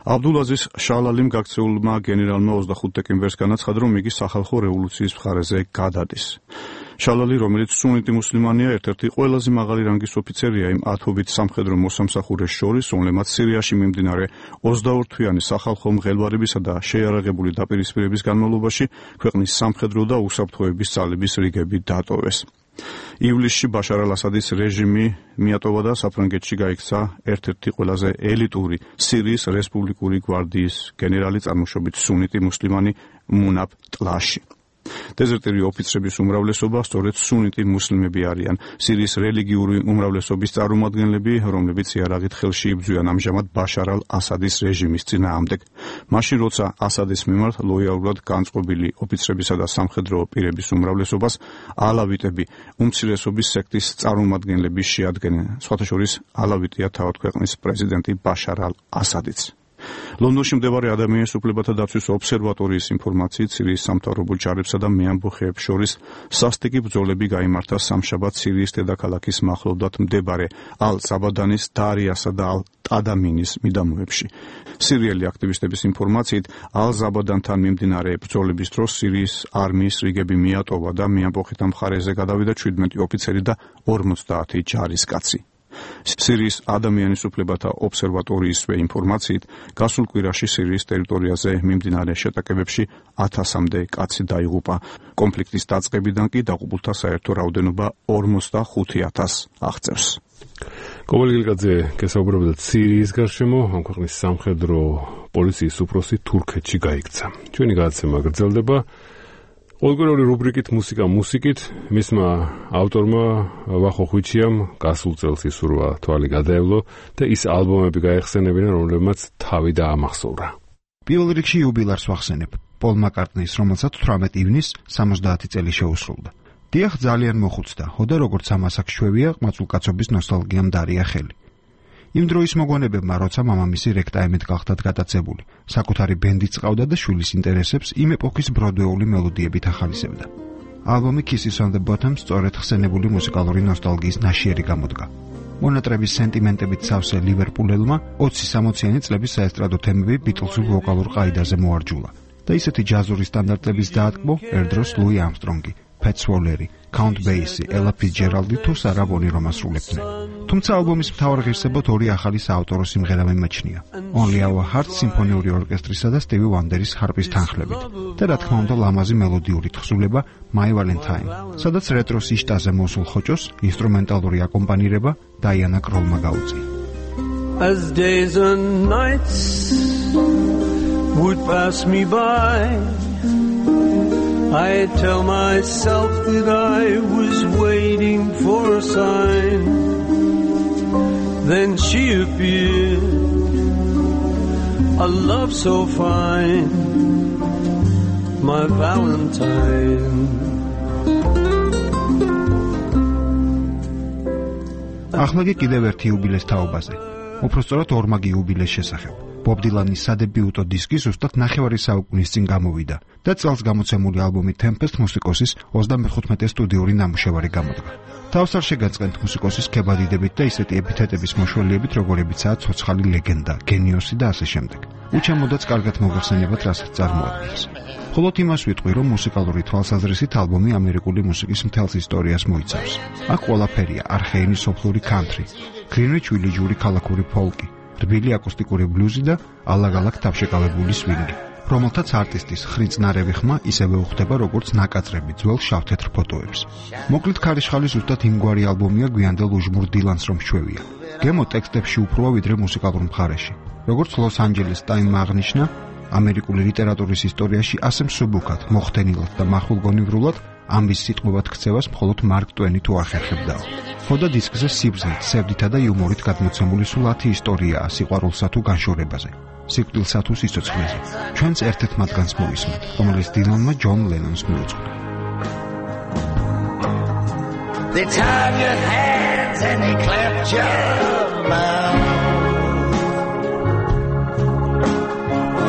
აბდულაზიზ შალალიმ გაქცეულმა გენერალმა ოცდახუთ დეკემბერს განაცხადა, რომ იგი სახალხო რევოლუციის მხარეზე გადადის. შალალი, რომელიც სუნიტი მუსლიმანია, ერთ-ერთი ყველაზე მაღალი რანგის ოფიცერია იმ ათობით სამხედრო მოსამსახურეს შორის, რომლებმაც სირიაში მიმდინარე ოცდაორთვიანი სახალხო მღელვარებისა და შეიარაღებული დაპირისპირების განმავლობაში ქვეყნის სამხედრო და უსაფრთხოების ძალების რიგები დატოვეს. ივლისში ბაშარ ალ-ასადის რეჟიმი მიატოვა და საფრანგეთში გაიქცა ერთ-ერთი ყველაზე ელიტური სირიის რესპუბლიკური გვარდიის გენერალი, წარმოშობით სუნიტი მუსლიმანი მუნაბ ტლაში. დეზერტირი ოფიცრების უმრავლესობა სწორედ სუნიტი მუსლიმები არიან. სირიის რელიგიური უმრავლესობის წარმომადგენლები, რომლებიც იარაღით ხელში იბრძვიან ამჟამად ბაშარ ალ-ასადის რეჟიმის წინააღმდეგ. მაშინ, როცა ასადის მიმართ ლოიალურად განწყობილი ოფიცრებისა და სამხედრო პირების უმრავლესობას ალავიტები უმცირესობის სექტის წარმომადგენლები შეადგენენ. სხვათა შორის ალავიტია თავად ქვეყნის პრეზიდენტი ბაშარ ალ-ასადიც. ლონდონში მდებარე ადამიანის უფლებათა დაცვის ობსერვატორიის ინფორმაციით, სირიის სამთავრობო ჯარებსა და მეამბოხეებს შორის სასტიკი ბრძოლები გაიმართა სამშაბათს სირიის დედაქალაქის მახლობლად მდებარე ალ-საბადანის, დარიასა და ალ-ტადამინის მიდამოებში. სირიელი აქტივისტების ინფორმაციით, ალ-საბადანთან მიმდინარე ბრძოლების დროს სირიის არმიის რიგები მიატოვა და მეამბოხეთა მხარეზე გადავიდა ჩვიდმეტი ოფიცერი და ორმოცდაათი ჯარისკაცი. სირიის ადამიანის უფლებათა ობსერვატორიისვე ინფორმაციით, გასულ კვირაში სირიის ტერიტორიაზე მიმდინარე შეტაკებებში ათასამდე კაცი დაიღუპა. კონფლიქტის დაწყებიდან კი დაღუპულთა საერთო რაოდენობა ორმოცდახუთი ათასს აღწევს. კობალ გილგაძე გესაუბრებოდა სირიის გარშემო, ამ ქვეყნის სამხედრო პოლიციის უფროსი თურქეთში გაიქცა. ჩვენი გადაცემა გრძელდება. ყოველგვარი რუბრიკით მუსიკა მუსიკით, მისმა ავტორმა ვახო ხვიჩიამ გასულ წელს ისურვა თვალი გადაევლო და ის ალბომები გაეხსენებინა, რომლებმაც თავი დაამახსოვრა. პირველ რიგში იუბილარს ვახსენებ, პოლ მაკარტნის, რომელსაც თვრამეტი ივნისს სამოცდაათი წელი შეუსრულდა. დიახ, ძალიან მოხუცდა, ხოდა როგორც ამას აქ შვევია, ყმაწვილკაცობის ნოსტალგიამ დარია ხელი. იმ დროის მოგონებებმა, როცა მამამისი რექტაიმედ გახდათ გადაცებული, საკუთარი ბენდიც ყავდა და შვილის ინტერესებს იმ ეპოქის ბროდვეული მელოდიებით ახალისებდა. ალბომი Kisses on the Bottom სწორედ ხსენებული მუსიკალური ნოსტალგიის ნაშიერი გამოდგა. მონატრების სენტიმენტებით სავსე ლივერპულელმა ოცი-სამოციანი წლების საესტრადო თემები ბიტლსურ ვოკალურ ყაიდაზე მოარჯულა და ისეთი ჯაზური სტანდარტების დაატკბო ერდროს ლუი ამსტრონგი, Pat Swolleri, Count Basie, Ella Fitzgerald თუ სარა ბონი რომ ასრულებდნენ. თუმცა ალბომის მთავარ ღირსებად ორი ახალი საავტორო სიმღერა მიმაჩნია. Only Our Hearts სიმფონიური ორკესტრისა და Stevie Wonderis ჰარპის თანხლებით და რა თქმა უნდა ლამაზი მელოდიური თხზულება My Valentine, სადაც რეტროს იშტაზე მოსულ ხოჭოს ინსტრუმენტალური აკომპანირება Diana Krallმა გაუწია. As days and nights would pass me by, I tell myself that I was waiting for a sign. Then she appeared, a love so fine, my Valentine. ახლა კი კიდევ ერთი იუბილეს თაობაზე. უпростоრად ორმაგი იუბილეს შესახებ. ბობ დილანის სადებიუტო დისკი ზუსტად ნახევარი საუკუნის წინ გამოვიდა და წელს გამოცემული ალბომი Tempest მუსიკოსის ოცდამეხუთმეტე სტუდიური ნამუშევარი გამოდგა. თავს არ შეგაწყენთ მუსიკოსის ქებადიდებით და ისეთი ეპითეტების მოშველიებით, როგორებიცაა ცოცხალი ლეგენდა, გენიოსი და ასე შემდეგ. უჩემოდაც კარგად მოგახსენებათ, რასაც წარმოადგენს. მხოლოდ იმას ვიტყვი, რომ მუსიკალური თვალსაზრისით ალბომი ამერიკული მუსიკის მთელს ისტორიას მოიცავს. აქ ყველაფერია: არხეინი სოფლური კანტრი, გრინვიჩ ვილიჯური ქალაქური ფოლკი, რბილი აკუსტიკური ბლუზი და ალაგ-ალაგ თავშეკავებული სვინგი, რომელთაც არტისტის ხრინწნარევი ხმა ისევე უხდება, როგორც ნაკაწრები ძველ შავ-თეთრ ფოტოებს. მოკლედ ქარიშხალი ზუსტად იმგვარი ალბომია გვიანდელ უჟმურ დილანს რომ შვევია. გემო ტექსტებში უფროა ვიდრე მუსიკალურ მხარეში. როგორც ლოს-ანჯელეს ტაიმმა აღნიშნა, ამერიკული ლიტერატურის ისტორიაში ასე მსუბუქად, მოხდენილად და მახვილგონივრულად ამბის სიტყვებად ქცევას მხოლოდ მარკ ტვენი თუ არ ხერხებდაო. ხოდა დისკზე სიბრძნით, სევდითა და იუმორით გადმოცემული სულ ათი ისტორიაა სიყვარულსა თუ განშორებაზე, სიკვდილსა თუ სიცოცხლეზე. ჩვენც ერთ-ერთ მათგანს მოვისმენთ, რომელიც დილანმა ჯონ ლენონს მიუძღვნა. They tied your hands and they clapped your mouth.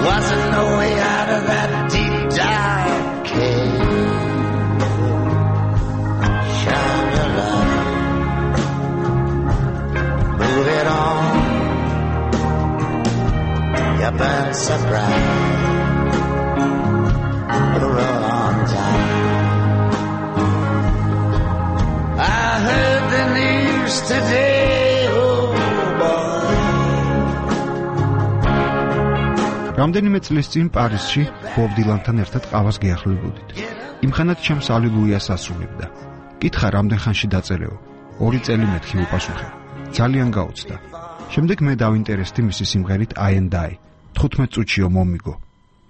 Wasn't no way out of that deep dark cave. Shine your light, move it on. You burn so bright, roll on time. I heard the news today, oh boy. რამდენიმე წლის წინ პარიზში ბობ დილანთან ერთად ყავას გეახლებოდით. იმხანად ჩემს ალილუიას ასრულებდა. კითხა რამდენ ხანში დაწერეო? ორი წელი მეთქი უპასუხე. ძალიან გაუცდა. შემდეგ მე დავინტერესდი მისი სიმღერით I and I. თხუთმეტ წუთშიო მომიგო.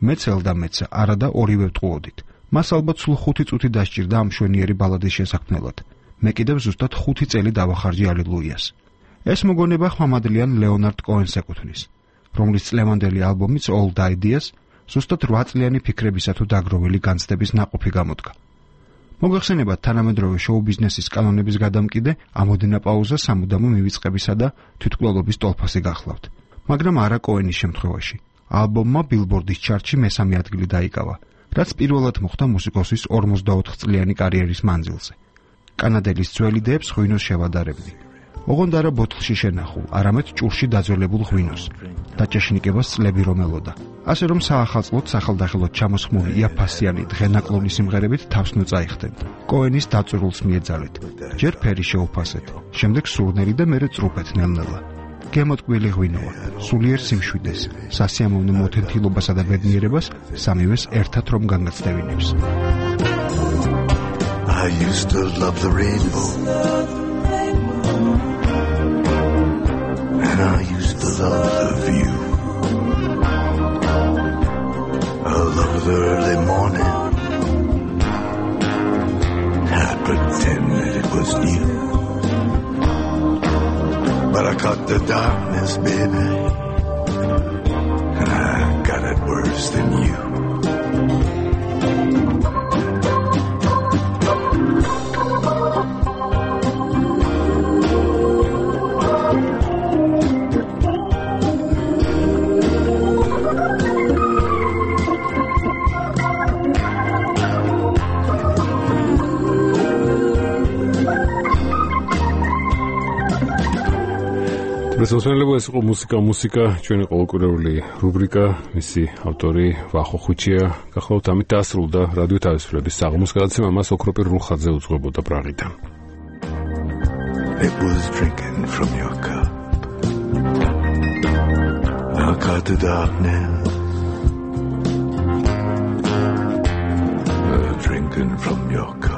მეც ელდა მეცა, არა და ორივე ვტყუოდით. მას ალბათ სულ ხუთი წუთი დასჭირდა ამ შვენიერი ბალადის შესაქმნელად. მე კიდევ ზუსტად ხუთი წელი დავახარჯე ალილუიას. ეს მოგონება ხმამადლიან ლეონარდ კოენს ეკუთვნის, რომლის წლევანდელი ალბომიც Old Ideas ზუსტად რვა წლიანი ფიქრებისა თუ დაგროვილი განცდების ნაყოფი გამოდგა. მოგახსენებათ თანამედროვე შოუ-ბიზნესის კანონების გადამკიდე, ამოდენა პაუზა სამუდამო მივიწყებისა და თვითმკვლელობის ტოლფასი გახლავთ. მაგრამ არა კოენის შემთხვევაში. ალბომმა ბილბორდის ჩარტში მესამე ადგილი დაიკავა, რაც პირველად მოხდა მუსიკოსის ორმოცდაოთხ წლიანი კარიერის მანძილზე. კანადელის ძველ იდეებს ღვინოს შევადარებდი. ოღონდ არა ბოთლში შენახულ, არამედ ჭურში დაძველებულ ღვინოს. დაჭეშნიკებას წლები რომ ელოდა. ასე რომ საახალწლოდ სახელდახელოდ ჩამოსხმული იაფასიანი დღენაკლონი სიმღერებით თავს ნუწაიხდენ. კოენის დაწურულს მიეძალეთ. ჯერ ფერი შეუფასეთ, შემდეგ სურნელი და მერე წრუფეთ ნელ-ნელა. გემოტკბილი ღვინოა, სულიერ სიმშვიდეს, სასიამოვნო მოთენთილობასა და ბედნიერებას სამივეს ერთად რომ განგაცდევინებს. I used to love the rainbow and I used to love the view. I love the early morning, I'd pretend that it was new. But I caught the darkness, baby, and I got it worse than you. Presonsuelega ეს იყო მუსიკა მუსიკა ჩვენი ყოველკვირეული რუბრიკა მისი ავტორი ვახო ხუჩია გახლავთ ამით დასრულდა რადიო თავისუფლების საღამოს გადაცემა მას ოქროპირ რუხაძე უძღვებოდა პრაღიდან It was drinking from your cup I caught the darkness uh, drinking from your cup